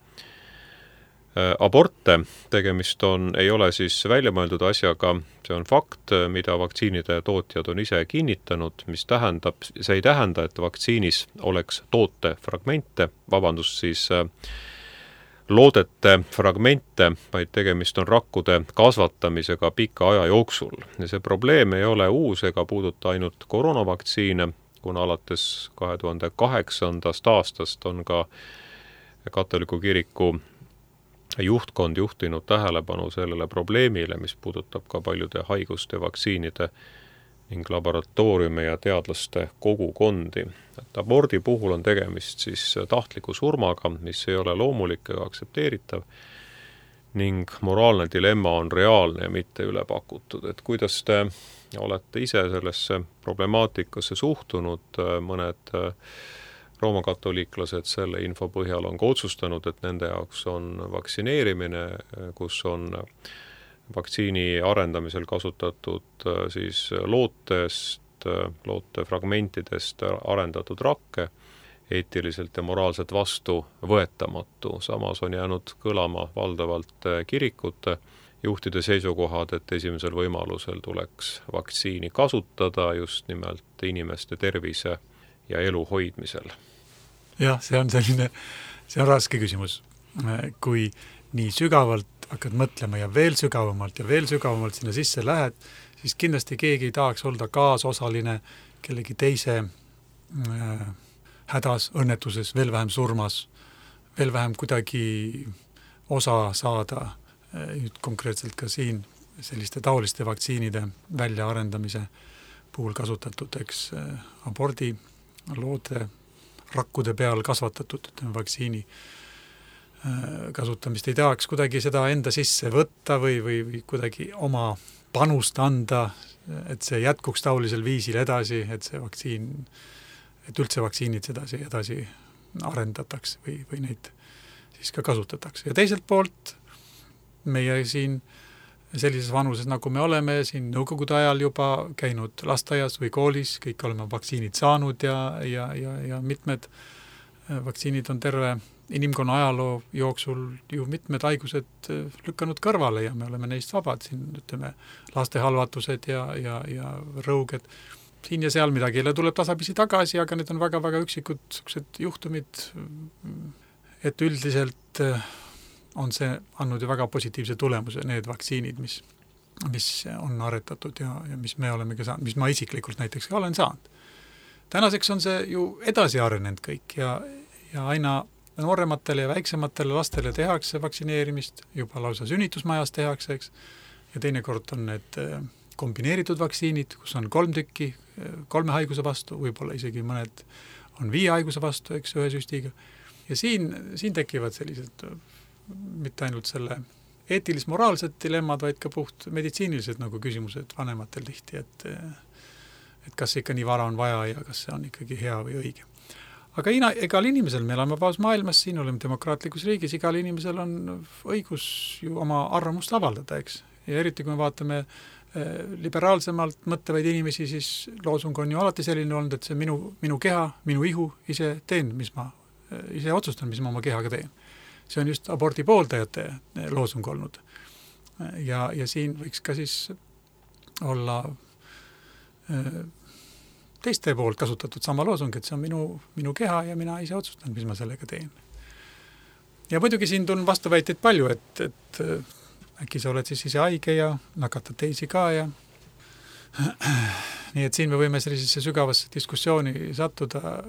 aborte, tegemist ei ole siis väljamõeldud asjaga, see on fakt, mida vaktsiinide tootjad on ise kinnitanud, mis tähendab, see ei tähenda, et vaktsiinis oleks loodete fragmente, vaid tegemist on rakkude kasvatamisega pika aja jooksul. Ja see probleem ei ole uus ega puuduta ainult koroonavaktsiine, kuna alates 2008. aastast on ka katoliku kiriku juhtkond juhtinud tähelepanu sellele probleemile, mis puudutab ka paljude haiguste, vaktsiinide ning laboratooriume ja teadlaste kogukondi. Et abordi puhul on tegemist siis tahtliku surmaga, mis ei ole loomulik ega aktsepteeritav ning moraalne dilemma on reaalne ja mitte üle pakutud. Et kuidas te olete ise sellesse problemaatikasse suhtunud, mõned Rooma katoliiklased selle info põhjal on ka otsustanud, et nende jaoks on vaktsineerimine, kus on vaktsiini arendamisel kasutatud siis lootefragmentidest arendatud rakke, eetiliselt ja moraalselt vastuvõetamatu. Samas on jäänud kõlama valdavalt kirikute juhtide seisukohad, et esimesel võimalusel tuleks vaktsiini kasutada just nimelt inimeste tervise ja elu hoidmisel. Jah, see on raske küsimus. Kui nii sügavalt hakkad mõtlema ja veel sügavamalt sinna sisse lähed, siis kindlasti keegi ei tahaks olla kaasosaline kellegi teise hädas, õnnetuses, veel vähem surmas, veel vähem kuidagi osa saada konkreetselt ka siin selliste taoliste vaktsiinide väljaarendamise puhul kasutatud, abordi, loode, rakkude peal kasvatatud vaktsiini kasutamist ei tahaks kuidagi seda enda sisse võtta või kuidagi oma panust anda, et see jätkuks taolisel viisil edasi, et üldse vaktsiinid edasi arendatakse või neid siis ka kasutatakse. Ja teiselt poolt meie siin sellises vanuses, nagu me oleme siin nõukogude ajal juba käinud lasteaias või koolis, kõik oleme vaktsiinid saanud ja mitmed vaktsiinid on terve inimkonna ajaloo jooksul ju mitmed haigused lükanud kõrvale ja me oleme neist vabad. Siin ütleme lastehalvatused ja rõuged. Siin ja seal midagi tuleb tasapisi tagasi, aga need on väga-väga üksikud juhtumid, et üldiselt on see andnud ju väga positiivse tulemuse, need vaktsiinid, mis on aretatud ja mis me oleme ka saanud, mis ma isiklikult näiteks ka olen saanud. Tänaseks on see ju edasi arenenud kõik ja aina noorematele ja väiksematele lastele tehakse vaktsineerimist, juba lausa sünnitusmajas tehakse, eks, ja teinekord on need kombineeritud vaktsiinid, kus on 3 tükki, 3 haiguse vastu, võib-olla isegi mõned on 5 haiguse vastu, eks, 1 süstiga. Ja siin tekivad sellised mitte ainult selle eetilis-moraalsed dilemmad, vaid ka puht meditsiinilised nagu küsimused vanematel tihti, et kas ikka nii vara on vaja ja kas see on ikkagi hea või õige. Aga igal inimesel, me oleme vabas maailmas, siin oleme demokraatlikus riigis, igal inimesel on õigus ju oma arvamust avaldada, eks. Ja eriti kui me vaatame liberaalsemalt mõtlevaid inimesi, siis loosung on ju alati selline olnud, et see minu keha, minu ihu, ise otsustan, mis ma oma kehaga teen. See on just abordi pooldajate loosung olnud. Ja siin võiks ka siis olla teiste poolt kasutatud sama loosung, et see on minu keha ja mina ise otsustan, mis ma sellega teen. Ja muidugi siin on vastuväiteid palju, et äkki sa oled siis ise haige ja nakatad teisi ka ja nii et siin me võime sellisesse sügavasse diskussiooni sattuda,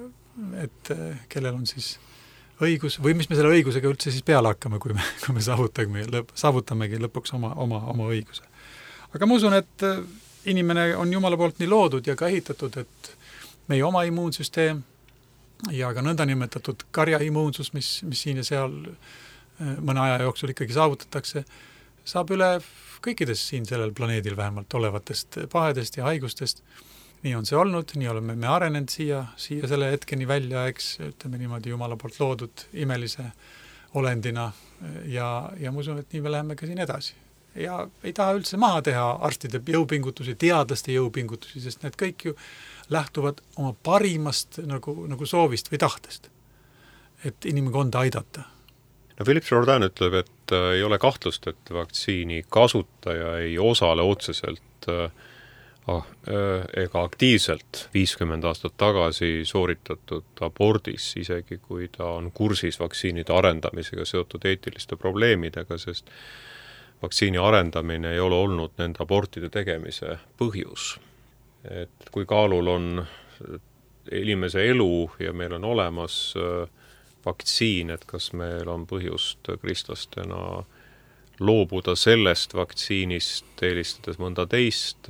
et kellel on siis õigus või mis me selle õigusega üldse siis peale hakkame, kui me saavutamegi lõpuks oma õiguse. Aga ma usun, et inimene on Jumala poolt nii loodud ja ka ehitatud, et meie oma immuunsüsteem ja ka nõndanimetatud karjaimmuunsus, mis siin ja seal mõne aja jooksul ikkagi saavutatakse, saab üle kõikidest siin sellel planeedil vähemalt olevatest pahedest ja haigustest. Nii on see olnud, nii oleme me arenenud siia selle hetkeni välja, eks, ütleme niimoodi Jumala poolt loodud imelise olendina ja ma usun, et nii me läheme ka siin edasi. Ja ei taha üldse maha teha arstide jõupingutusi, teadlaste jõupingutusi, sest need kõik ju lähtuvad oma parimast nagu soovist või tahtest, et inimkonda aidata. No Philippe Jourdain ütleb, et ei ole kahtlust, et vaktsiini kasutaja ei osale otseselt ega aktiivselt 50 aastat tagasi sooritatud abordis, isegi kui ta on kursis vaktsiinide arendamisega seotud eetiliste probleemidega, sest vaktsiini arendamine ei ole olnud nende abortide tegemise põhjus. Et kui kaalul on inimese elu ja meil on olemas vaktsiin, et kas meil on põhjust kristlastena loobuda sellest vaktsiinist, eelistades mõnda teist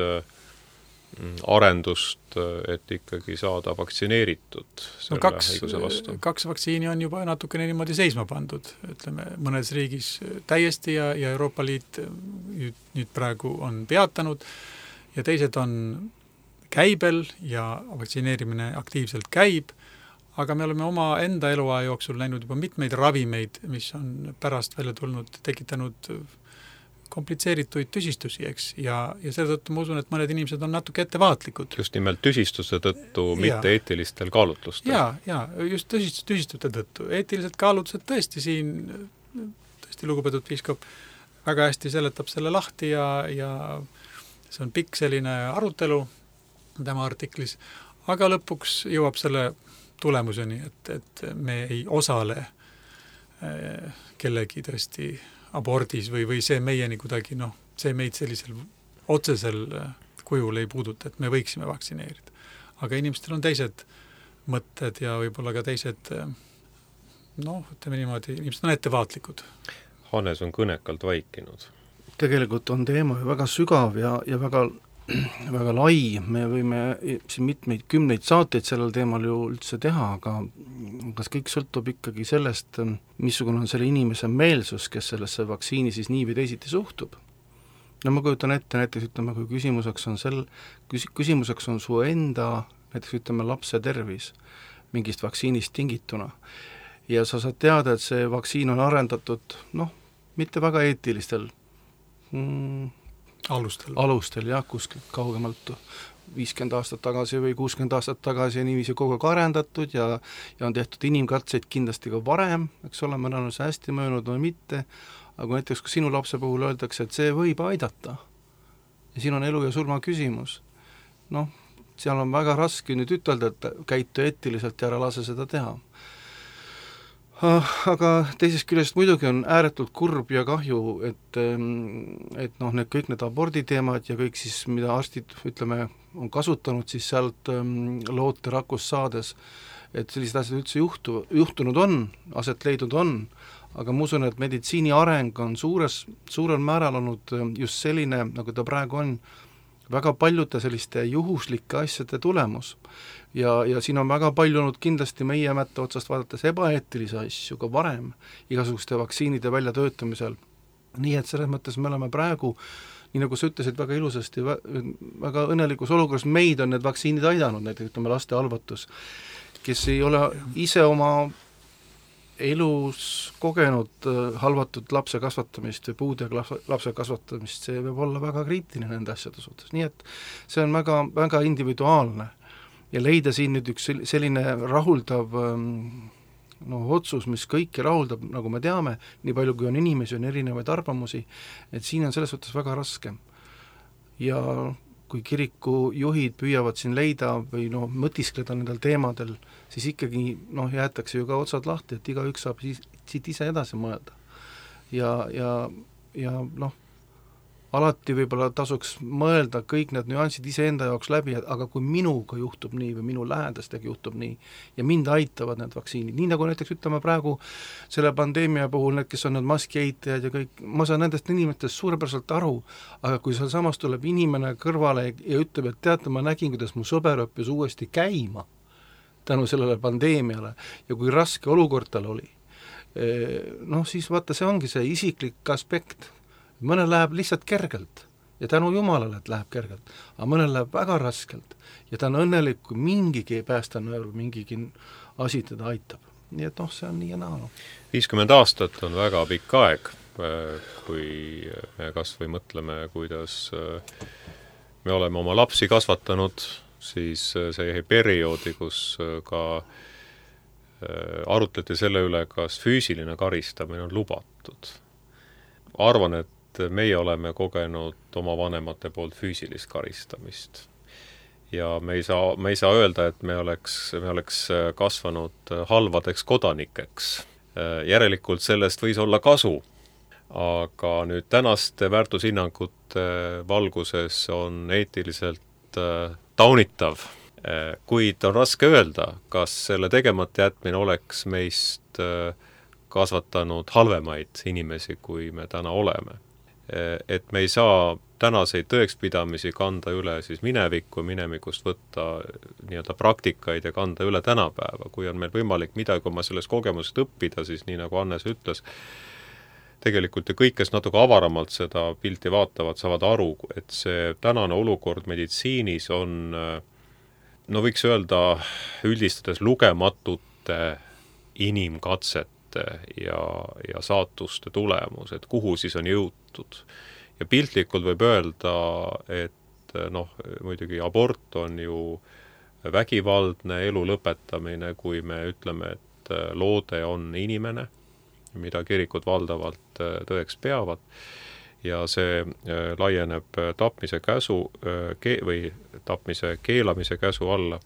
arendust, et ikkagi saada vaktsineeritud selle haiguse vastu. 2 vaktsiini on juba natukene niimoodi seisma pandud, ütleme, mõnes riigis täiesti ja Euroopa Liit nüüd praegu on peatanud ja teised on käibel ja vaktsineerimine aktiivselt käib, aga me oleme oma enda eluaja jooksul näinud juba mitmeid ravimeid, mis on pärast välja tulnud, tekitanud komplitseerituid tüsistusi, eks, ja selle tõttu ma usun, et mõned inimesed on natuke ettevaatlikud. Just nimelt tüsistuse tõttu, mitte eetilistel kaalutlustel. Ja just tüsistute tõttu. Eetilised kaalutlused tõesti siin, tõesti lugupeetud piiskop väga hästi seletab selle lahti ja see on pikk selline arutelu tema artiklis, aga lõpuks jõuab selle tulemuseni, et me ei osale kellegi tõesti abordis või see meieni kuidagi, see meid sellisel otsesel kujul ei puuduta, et me võiksime vaktsineerida. Aga inimestel on teised mõtted ja võib-olla ka teised, ütleme niimoodi, inimesed on ettevaatlikud. Hannes on kõnekalt vaikinud. Tegelikult on teema väga sügav ja väga väga lai, me võime siin mitmeid kümneid saateid sellel teemal ju üldse teha, aga kas kõik sõltub ikkagi sellest, missugune on selle inimese meelsus, kes sellesse vaktsiini siis nii või teisiti suhtub. No ma kujutan ette, näiteks ütleme, kui küsimuseks on su enda, näiteks ütleme, lapse tervis mingist vaktsiinist tingituna ja sa saad teada, et see vaktsiin on arendatud, mitte väga eetilistel alustel, jah, kuskilt kaugemalt 50 aastat tagasi või 60 aastat tagasi ja niiviisi kogu aeg arendatud ja on tehtud inimkatseid kindlasti ka varem, eks ole, mõnel on see hästi möönud või mitte, aga näiteks kui sinu lapse puhul öeldakse, et see võib aidata ja siin on elu ja surma küsimus, seal on väga raske nüüd ütelda, et käitu eetiliselt ja ära lase seda teha. Aga teisest küljest muidugi on ääretult kurb ja kahju, et kõik need aborditeemad ja kõik siis, mida arstid, ütleme, on kasutanud siis sealt loote rakust saades, et sellised asjad üldse juhtunud on, aset leidnud on, aga ma usun, et meditsiini areng on suurel määral olnud just selline, nagu ta praegu on, väga paljude selliste juhuslike asjade tulemus. Ja siin on väga palju olnud kindlasti meie mätta otsast vaadates ebaeetilisi asju ka varem igasuguste vaktsiinide väljatöötamisel. Nii et selles mõttes me oleme praegu, nii nagu sa ütlesid väga ilusasti, väga õnnelikus olukorras, meid on need vaktsiinid aidanud, näiteks ütleme laste halvatus, kes ei ole ise oma elus kogenud halvatud lapse kasvatamist või puudega lapse kasvatamist, see võib olla väga kriitiline nende asjade suhtes, nii et see on väga, väga individuaalne ja leida siin nüüd üks selline rahuldav otsus, mis kõiki rahuldab, nagu me teame, nii palju kui on inimesi, on erinevaid arvamusi, et siin on selles suhtes väga raske. Ja kui kiriku juhid püüavad siin leida või mõtiskleda nendel teemadel, siis ikkagi jäetakse ju ka otsad lahti, et igaüks saab siit ise edasi mõelda. Ja alati võib-olla tasuks mõelda kõik need nüansid iseenda jaoks läbi, aga kui minuga juhtub nii või minu lähedastega juhtub nii ja mind aitavad need vaktsiinid, nii nagu näiteks ütleme praegu selle pandeemia puhul, need, kes on need maskieitajad ja kõik, ma saan nendest inimestest suurepäraselt aru, aga kui seal samas tuleb inimene kõrvale ja ütleb, et teate, ma nägin, kuidas mu sõber õppis uuesti käima tänu sellele pandeemiale ja kui raske olukord tal oli, siis vaata, see ongi see isiklik aspekt. Mõnel läheb lihtsalt kergelt ja tänu Jumalale, et läheb kergelt, aga mõnel läheb väga raskelt ja ta on õnnelik, kui mingigi päästanööl, mingigi asi teda aitab. Nii et see on nii ja naa. 50 aastat on väga pikk aeg, kui me kas või mõtleme, kuidas me oleme oma lapsi kasvatanud, siis see perioodi, kus ka arutleti selle üle, kas füüsiline karistamine on lubatud. Arvan, et meie oleme kogenud oma vanemate poolt füüsilist karistamist. Ja me ei saa öelda, et me oleks kasvanud halvadeks kodanikeks. Järelikult sellest võis olla kasu, aga nüüd tänaste väärtushinnangute valguses on eetiliselt taunitav, kuid on raske öelda, kas selle tegemata jätmine oleks meist kasvatanud halvemaid inimesi, kui me täna oleme. Et me ei saa tänaseid tõekspidamisi kanda üle siis minemikust võtta nii-öelda praktikaid ja kanda üle tänapäeva. Kui on meil võimalik midagi oma sellest kogemusest õppida, siis nii nagu Hannes ütles, tegelikult ja kõik, kes natuke avaramalt seda pilti vaatavad, saavad aru, et see tänane olukord meditsiinis on, võiks öelda, üldistades lugematute inimkatsete ja saatuste tulemus, et kuhu siis on jõutud. Ja piltlikult võib öelda, et muidugi abort on ju vägivaldne elu lõpetamine, kui me ütleme, et loode on inimene, mida kirikud valdavalt tõeks peavad, ja see laieneb tapmise käsu või tapmise keelamise käsu alla.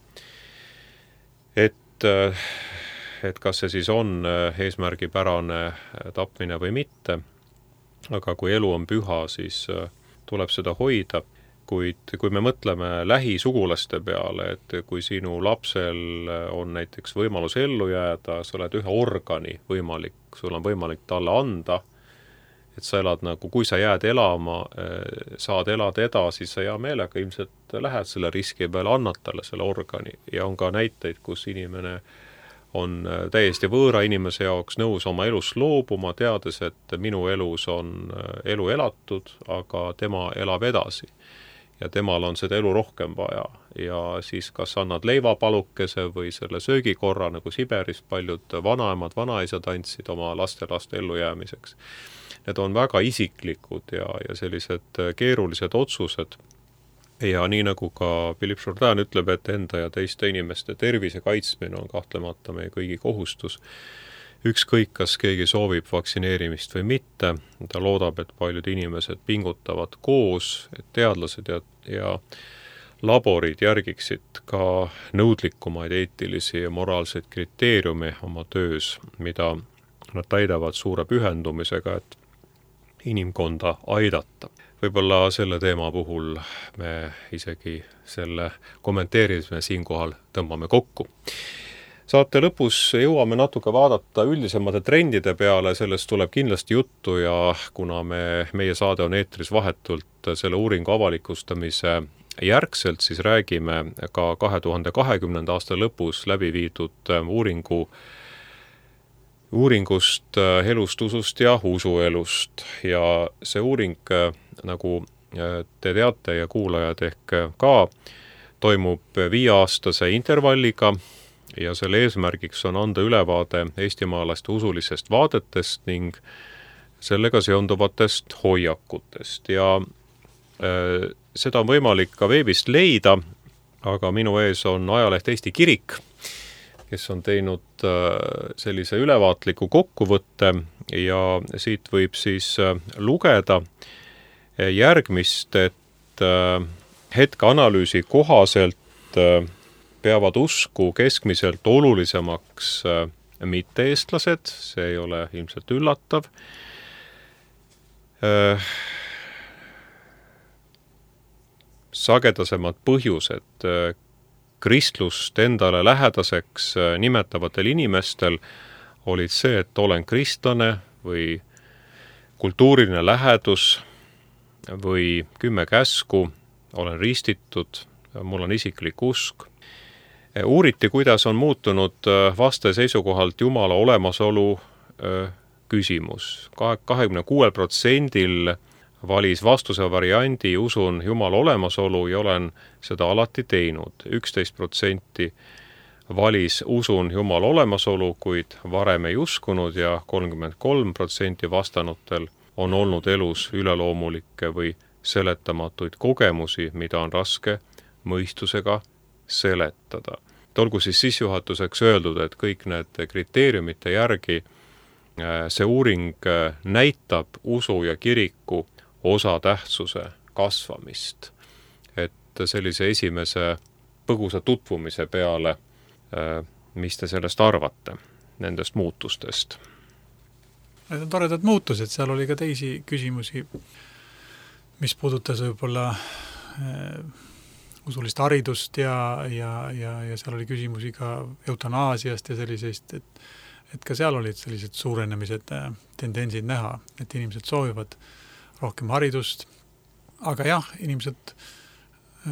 Et kas see siis on eesmärgipärane tapmine või mitte, aga kui elu on püha, siis tuleb seda hoida, kuid kui me mõtleme lähisugulaste peale, et kui sinu lapsel on näiteks võimalus ellu jääda, sa oled ühe organi võimalik, sul on võimalik talle anda, et sa elad nagu, kui sa jääd elama, saad elada edasi, sa hea meelega ilmselt lähed selle riski peale, annad talle selle organi. Ja on ka näiteid, kus inimene on täiesti võõra inimese jaoks nõus oma elust loobuma, teades, et minu elus on elu elatud, aga tema elab edasi. Ja temal on seda elu rohkem vaja. Ja siis kas annad leivapalukese või selle söögikorra, nagu Siberis paljud vanaemad, vanaisad andsid oma laste ellujäämiseks. Need on väga isiklikud ja sellised keerulised otsused. Ja nii nagu ka Philippe Jourdain ütleb, et enda ja teiste inimeste tervise kaitsmine on kahtlemata meie kõigi kohustus. Ükskõik, kas keegi soovib vaktsineerimist või mitte, ta loodab, et paljud inimesed pingutavad koos, et teadlased ja laborid järgiksid ka nõudlikumaid eetilisi ja moraalseid kriteeriumi oma töös, mida nad täidavad suure pühendumisega, et inimkonda aidata. Võib-olla selle teema puhul me isegi selle kommenteerimisme siinkohal tõmbame kokku. Saate lõpus jõuame natuke vaadata üldisemate trendide peale, sellest tuleb kindlasti juttu ja kuna meie saade on eetris vahetult selle uuringu avalikustamise järgselt, siis räägime ka 2020. aasta lõpus läbi viidud uuringust elust, usust ja usuelust. Ja see uuring, nagu te teate ja kuulajad ehk ka, toimub 5-aastase intervalliga ja selle eesmärgiks on anda ülevaade eestimaalaste usulisest vaadetest ning sellega seonduvatest hoiakutest. Ja seda on võimalik ka veebist leida, aga minu ees on ajaleht Eesti Kirik, kes on teinud sellise ülevaatliku kokkuvõtte ja siit võib siis lugeda järgmist, et hetkeanalüüsi kohaselt peavad usku keskmiselt olulisemaks mitte-eestlased, see ei ole ilmselt üllatav. Sagedasemad põhjused kristlust endale lähedaseks nimetavatel inimestel olid see, et olen kristlane või kultuuriline lähedus või 10 käsku, olen ristitud, mul on isiklik usk. Uuriti, kuidas on muutunud vaste seisukohalt Jumala olemasolu küsimus. 26% valis vastuse variandi usun Jumala olemasolu ja olen seda alati teinud. 11% valis usun Jumala olemasolu, kuid varem ei uskunud ja 33% vastanutel on olnud elus üleloomulikke või seletamatuid kogemusi, mida on raske mõistusega seletada. Olgu siis sissejuhatuseks öeldud, et kõik need kriteeriumite järgi see uuring näitab usu ja kiriku osatähtsuse kasvamist. Et sellise esimese põgusa tutvumise peale, mis te sellest arvate, nendest muutustest? Need on toredad muutused, seal oli ka teisi küsimusi, mis puudutas võib-olla usulist haridust ja seal oli küsimusi ka eutanaasiast ja sellisest, et ka seal olid sellised suurenemised tendentsid näha, et inimesed soovivad rohkem haridust, aga jah, inimesed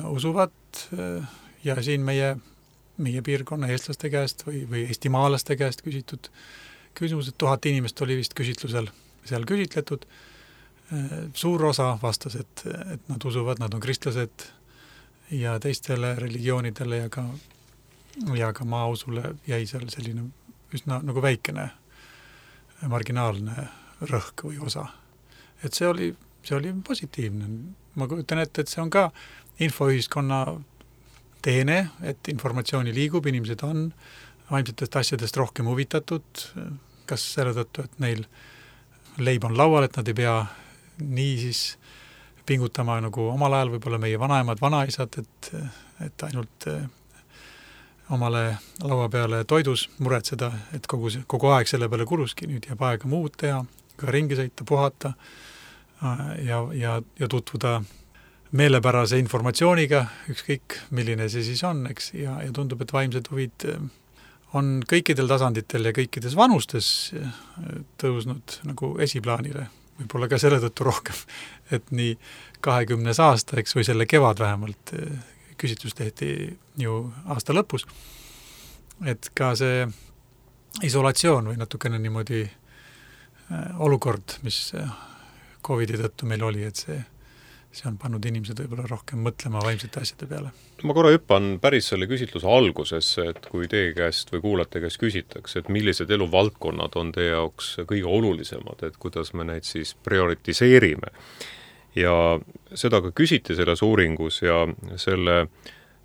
usuvad ja siin meie piirkonna eestlaste käest või eestimaalaste käest küsitud küsimused, 1000 inimest oli vist küsitlusel seal küsitletud. Suur osa vastas, et nad usuvad, nad on kristlased ja teistele religioonidele ja ka maausule jäi seal selline üsna nagu väikene marginaalne rõhk või osa. Et see oli see oli positiivne. Ma kujutan ette, et see on ka infoühiskonna teene, et informatsiooni liigub, inimesed on vaimsetest asjadest rohkem huvitatud, kas selle tõttu, et neil leib on laual, et nad ei pea nii siis pingutama nagu omal ajal võib-olla meie vanaemad, vanaisad, et ainult omale laua peale toidus muretseda, et kogu aeg selle peale kuluski, nüüd jääb aega muud teha, ka ringi sõita, puhata ja tutvuda meelepärase informatsiooniga, ükskõik milline see siis on, eks, ja tundub, et vaimsed huvid on kõikidel tasanditel ja kõikides vanustes tõusnud nagu esiplaanile, võib-olla ka selle tõttu rohkem, et nii 20. aasta, eks, või selle kevad vähemalt, küsitlus tehti ju aasta lõpus, et ka see isolatsioon või natukene niimoodi olukord, mis COVID-i tõttu meil oli, et see on pannud inimesed võib-olla rohkem mõtlema vaimsete asjade peale. Ma korra hüppan päris selle küsitluse algusesse, et kui teie käest või kuulate käest küsitakse, et millised eluvaldkonnad on teie jaoks kõige olulisemad, et kuidas me neid siis prioritiseerime. Ja seda ka küsiti selles uuringus ja selle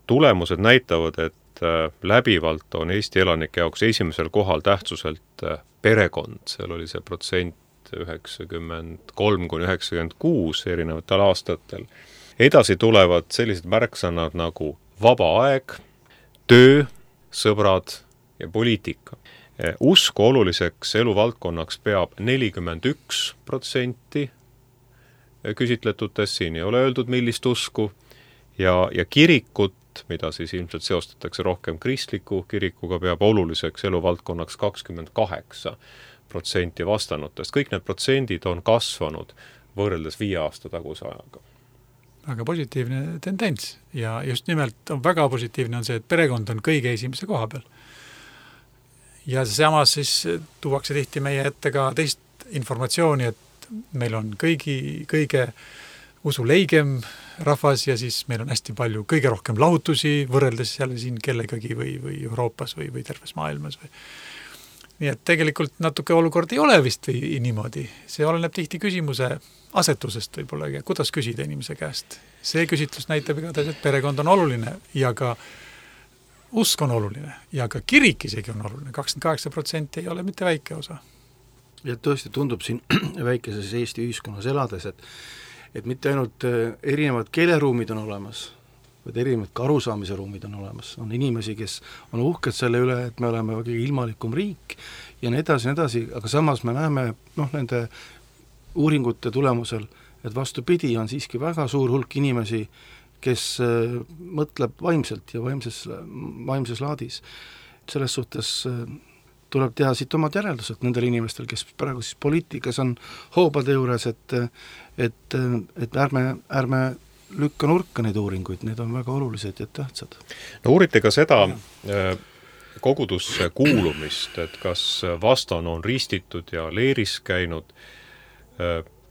tulemused näitavad, et läbivalt on Eesti elanike jaoks esimesel kohal tähtsuselt perekond, seal oli see protsent 93–96 erinevatel aastatel. Edasi tulevad sellised märksõnad nagu vaba aeg, töö, sõbrad ja poliitika. Usku oluliseks eluvaldkonnaks peab 41% küsitletutes, siin ei ole öeldud millist usku, ja kirikut, mida siis ilmselt seostatakse rohkem kristliku kirikuga, peab oluliseks eluvaldkonnaks 28% vastanutest. Kõik need protsendid on kasvanud võrreldes 5 aasta taguse ajaga. Väga positiivne tendents ja just nimelt on väga positiivne on see, et perekond on kõige esimese koha peal. Ja samas siis tuuakse tihti meie ette ka teist informatsiooni, et meil on kõige usuleigem rahvas ja siis meil on hästi palju, kõige rohkem lahutusi võrreldes jälle siin kellegagi või Euroopas või terves maailmas või. Nii et tegelikult natuke olukord ei ole vist või niimoodi. See oleneb tihti küsimuse asetusest võib-olla, kuidas küsida inimese käest. See küsitlus näitab igatahes, et perekond on oluline ja ka usk on oluline ja ka kirik isegi on oluline. 28% ei ole mitte väike osa. Ja tõesti tundub siin väikeses Eesti ühiskonnas elades, et mitte ainult erinevad keeleruumid on olemas, vaid erinevad ka arusaamise ruumid on olemas. On inimesi, kes on uhked selle üle, et me oleme väga ilmalikum riik ja nii edasi, aga samas me näeme nende uuringute tulemusel, et vastupidi on siiski väga suur hulk inimesi, kes mõtleb vaimselt ja vaimses laadis. Selles suhtes tuleb teha siit omad järeldused nendel inimestel, kes praegu siis poliitikas on hoobade juures, et ärme lükka nurka neid uuringuid, need on väga olulised ja tähtsad. No uurite ka seda kogudusse kuulumist, et kas vastane on ristitud ja leeris käinud.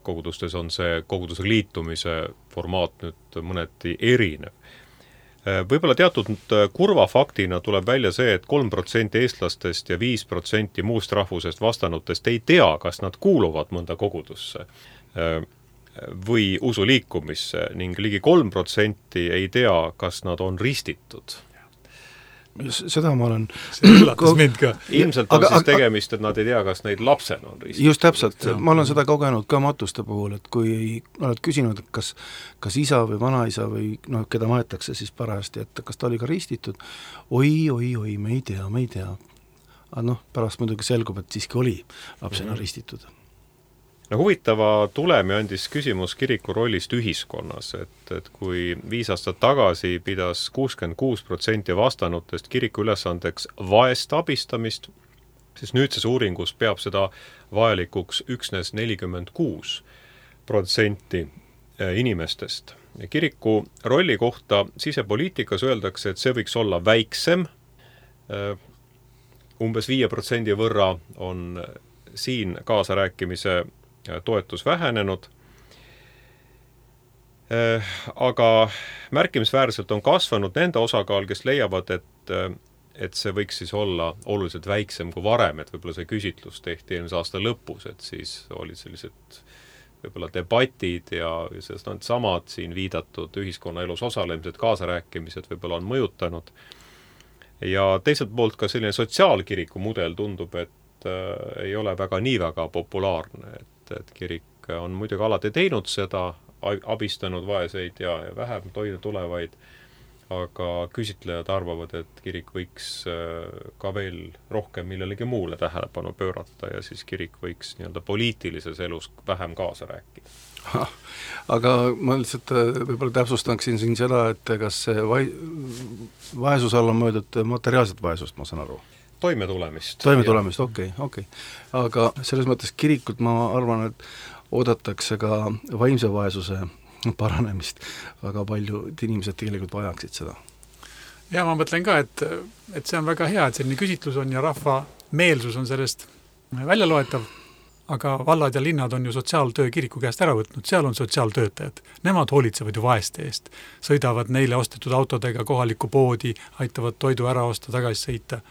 Kogudustes on see kogudusega liitumise formaat nüüd mõneti erinev. Võib-olla teatud kurva faktina tuleb välja see, et 3% eestlastest ja 5% muust rahvusest vastanutest ei tea, kas nad kuuluvad mõnda kogudusse või usuliikumisse ning ligi 3% ei tea, kas nad on ristitud. Seda ma olen... See üllatas mind ka. Ilmselt on siis tegemist, et nad ei tea, kas neid lapsena on ristitud. Just täpselt, ma olen seda kogenud ka matuste puhul, et kui oled küsinud, kas isa või vanaisa või keda maetakse siis parajasti, et kas ta oli ka ristitud, oi, me ei tea. Aga pärast muidugi selgub, et siiski oli lapsena ristitud. No huvitava tulemi andis küsimus kiriku rollist ühiskonnas, et kui 5 aastat tagasi pidas 66% vastanutest kiriku ülesandeks vaest abistamist, siis nüüdses uuringus peab seda vajalikuks üksnes 46% inimestest. Kiriku rolli kohta sisepoliitikas öeldakse, et see võiks olla väiksem, umbes 5% võrra on siin kaasarääkimise toetus vähenenud, aga märkimisväärselt on kasvanud nende osakaal, kes leiavad, et see võiks siis olla oluliselt väiksem kui varem, et võib-olla see küsitlus tehti eelmise aasta lõpus, et siis olid sellised võib-olla debatid ja sest on samad siin viidatud ühiskonnaelus osalemised, kaasarääkimised võib-olla on mõjutanud. Ja teiselt poolt ka selline sotsiaalkiriku mudel tundub, et ei ole nii väga populaarne, et kirik on muidugi alati teinud seda, abistanud vaeseid ja vähem toime tulevaid, aga küsitlejad arvavad, et kirik võiks ka veel rohkem millelegi muule tähelepanu pöörata ja siis kirik võiks nii-öelda poliitilises elus vähem kaasa rääkida. Aga ma lihtsalt võib-olla täpsustaksin siin seda, et kas see vaesus all on mõeldud materiaalset vaesust, ma saan aru? Toimetulemist, okei. Aga selles mõttes kirikut ma arvan, et oodatakse ka vaimse vaesuse paranemist. Väga paljud inimesed tegelikult vajaksid seda. Ja ma mõtlen ka, et see on väga hea, et selline küsitlus on ja rahva meelsus on sellest välja loetav, aga vallad ja linnad on ju sotsiaaltöö kiriku käest ära võtnud, seal on sotsiaaltöötajad. Nemad hoolitsevad ju vaeste eest, sõidavad neile ostetud autodega kohalikku poodi, aitavad toidu ära osta, tagasi sõita.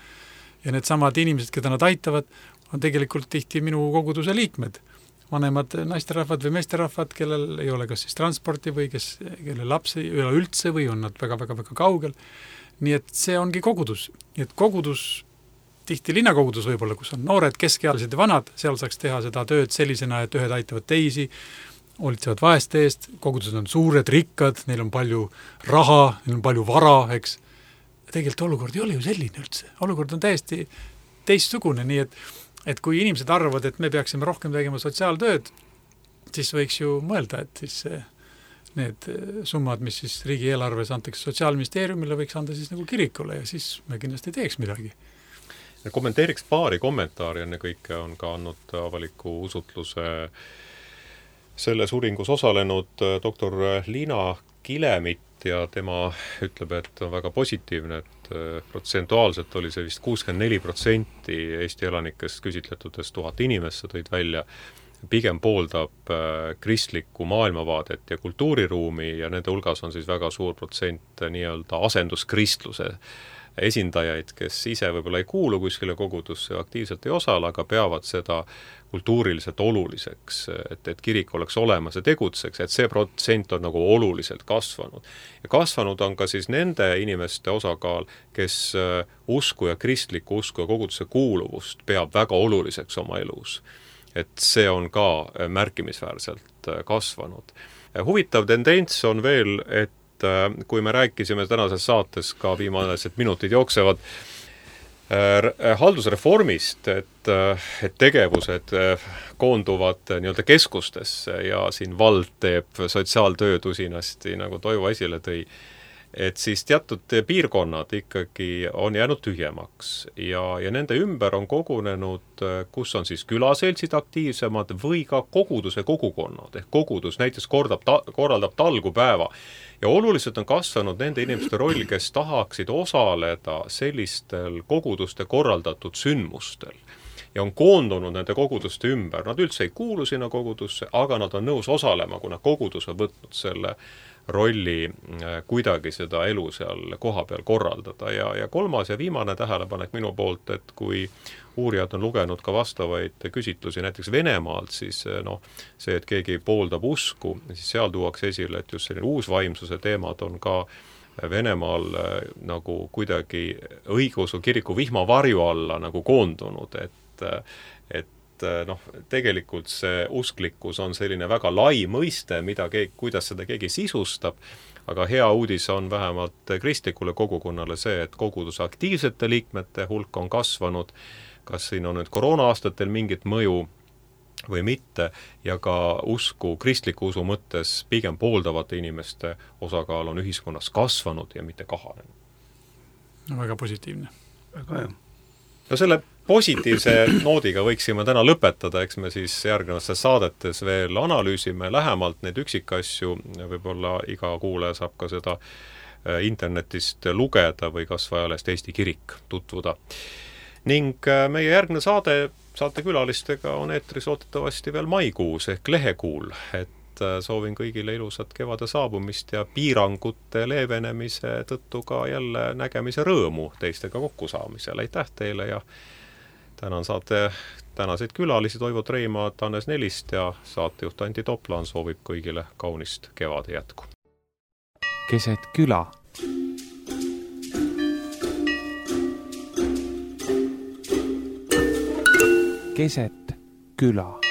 Ja need samad inimesed, keda nad aitavad, on tegelikult tihti minu koguduse liikmed. Vanemad naisterahvad või meesterahvad, kellel ei ole kas siis transporti või kelle lapsi ei ole üldse või on nad väga-väga kaugel. Nii et see ongi kogudus. Nii et kogudus, tihti linnakogudus võib-olla, kus on noored, keskealised ja vanad, seal saaks teha seda tööd sellisena, et ühed aitavad teisi, hoolitsevad vaeste eest, kogudused on suured, rikkad, neil on palju raha, neil on palju vara, eks. Tegelikult olukord ei ole ju selline üldse. Olukord on täiesti teistsugune, nii et kui inimesed arvavad, et me peaksime rohkem tegema sotsiaaltööd, siis võiks ju mõelda, et siis need summad, mis siis riigieelarves antakse Sotsiaalministeeriumile, võiks anda siis nagu kirikule ja siis me kindlasti teeks midagi. Kommenteeriks paari kommentaari enne kõike on ka andnud avaliku usutluse selles uuringus osalenud doktor Liina Kilemit ja tema ütleb, et on väga positiivne, et protsentuaalselt oli see vist 64% Eesti elanikest küsitletudest 1000 inimest tõid välja, pigem pooldab kristlikku maailmavaadet ja kultuuriruumi ja nende hulgas on siis väga suur protsent nii-öelda asenduskristluse esindajaid, kes ise võib-olla ei kuulu kuskile kogudusse, aktiivselt ei osale, aga peavad seda kultuuriliselt oluliseks, et kirik oleks olemas ja tegutseks, et see protsent on nagu oluliselt kasvanud. Ja kasvanud on ka siis nende inimeste osakaal, kes usku ja kristlikku usku ja koguduse kuuluvust peab väga oluliseks oma elus. Et see on ka märkimisväärselt kasvanud. Huvitav tendents on veel, et kui me rääkisime tänases saates ka viimased minutid jooksevad haldusreformist, et tegevused koonduvad nii-öelda keskustesse ja siin vald teeb sotsiaaltööd usinasti, nagu Toivo esile tõi, et siis teatud piirkonnad ikkagi on jäänud tühjemaks ja nende ümber on kogunenud, kus on siis külaseltsid aktiivsemad või ka koguduse kogukonnad, ehk kogudus näiteks korraldab talgupäeva. Ja oluliselt on kasvanud nende inimeste roll, kes tahaksid osaleda sellistel koguduste korraldatud sündmustel ja on koondunud nende koguduste ümber. Nad üldse ei kuulu sinna kogudusse, aga nad on nõus osalema, kuna kogudus on võtnud selle rolli kuidagi seda elu seal koha peal korraldada. Ja kolmas ja viimane tähelepanek minu poolt, et kui uurijad on lugenud ka vastavaid küsitlusi näiteks Venemaalt, siis see, et keegi pooldab usku, siis seal tuuakse esile, et just selline uusvaimsuse teemad on ka Venemaal nagu kuidagi õigeusu kiriku vihmavarju alla nagu koondunud, et tegelikult see usklikkus on selline väga lai mõiste, kuidas seda keegi sisustab, aga hea uudis on vähemalt kristlikule kogukonnale see, et koguduse aktiivsete liikmete hulk on kasvanud, kas siin on nüüd koroona-aastatel mingit mõju või mitte, ja ka kristliku usu mõttes pigem pooldavate inimeste osakaal on ühiskonnas kasvanud ja mitte kahanenud. No, väga positiivne. Väga hea. No selle positiivse noodiga võiksime täna lõpetada, eks me siis järgnevates saadetes veel analüüsime lähemalt neid üksikasju, võib-olla iga kuulaja saab ka seda internetist lugeda või kas vajalest Eesti Kirik tutvuda. Ning meie järgne saatekülalistega on eetris loodetavasti veel maikuus ehk lehekuul, et soovin kõigile ilusat kevade saabumist ja piirangute leevenemise tõttu ka jälle nägemise rõõmu teistega kokkusaamisel. Aitäh teile ja tänan saate tänaseid külalisi Toivo Treimaad, Hannes Nelist ja saatejuht Anti Toplaan soovib kõigile kaunist kevade jätku. Keset küla. Keset küla.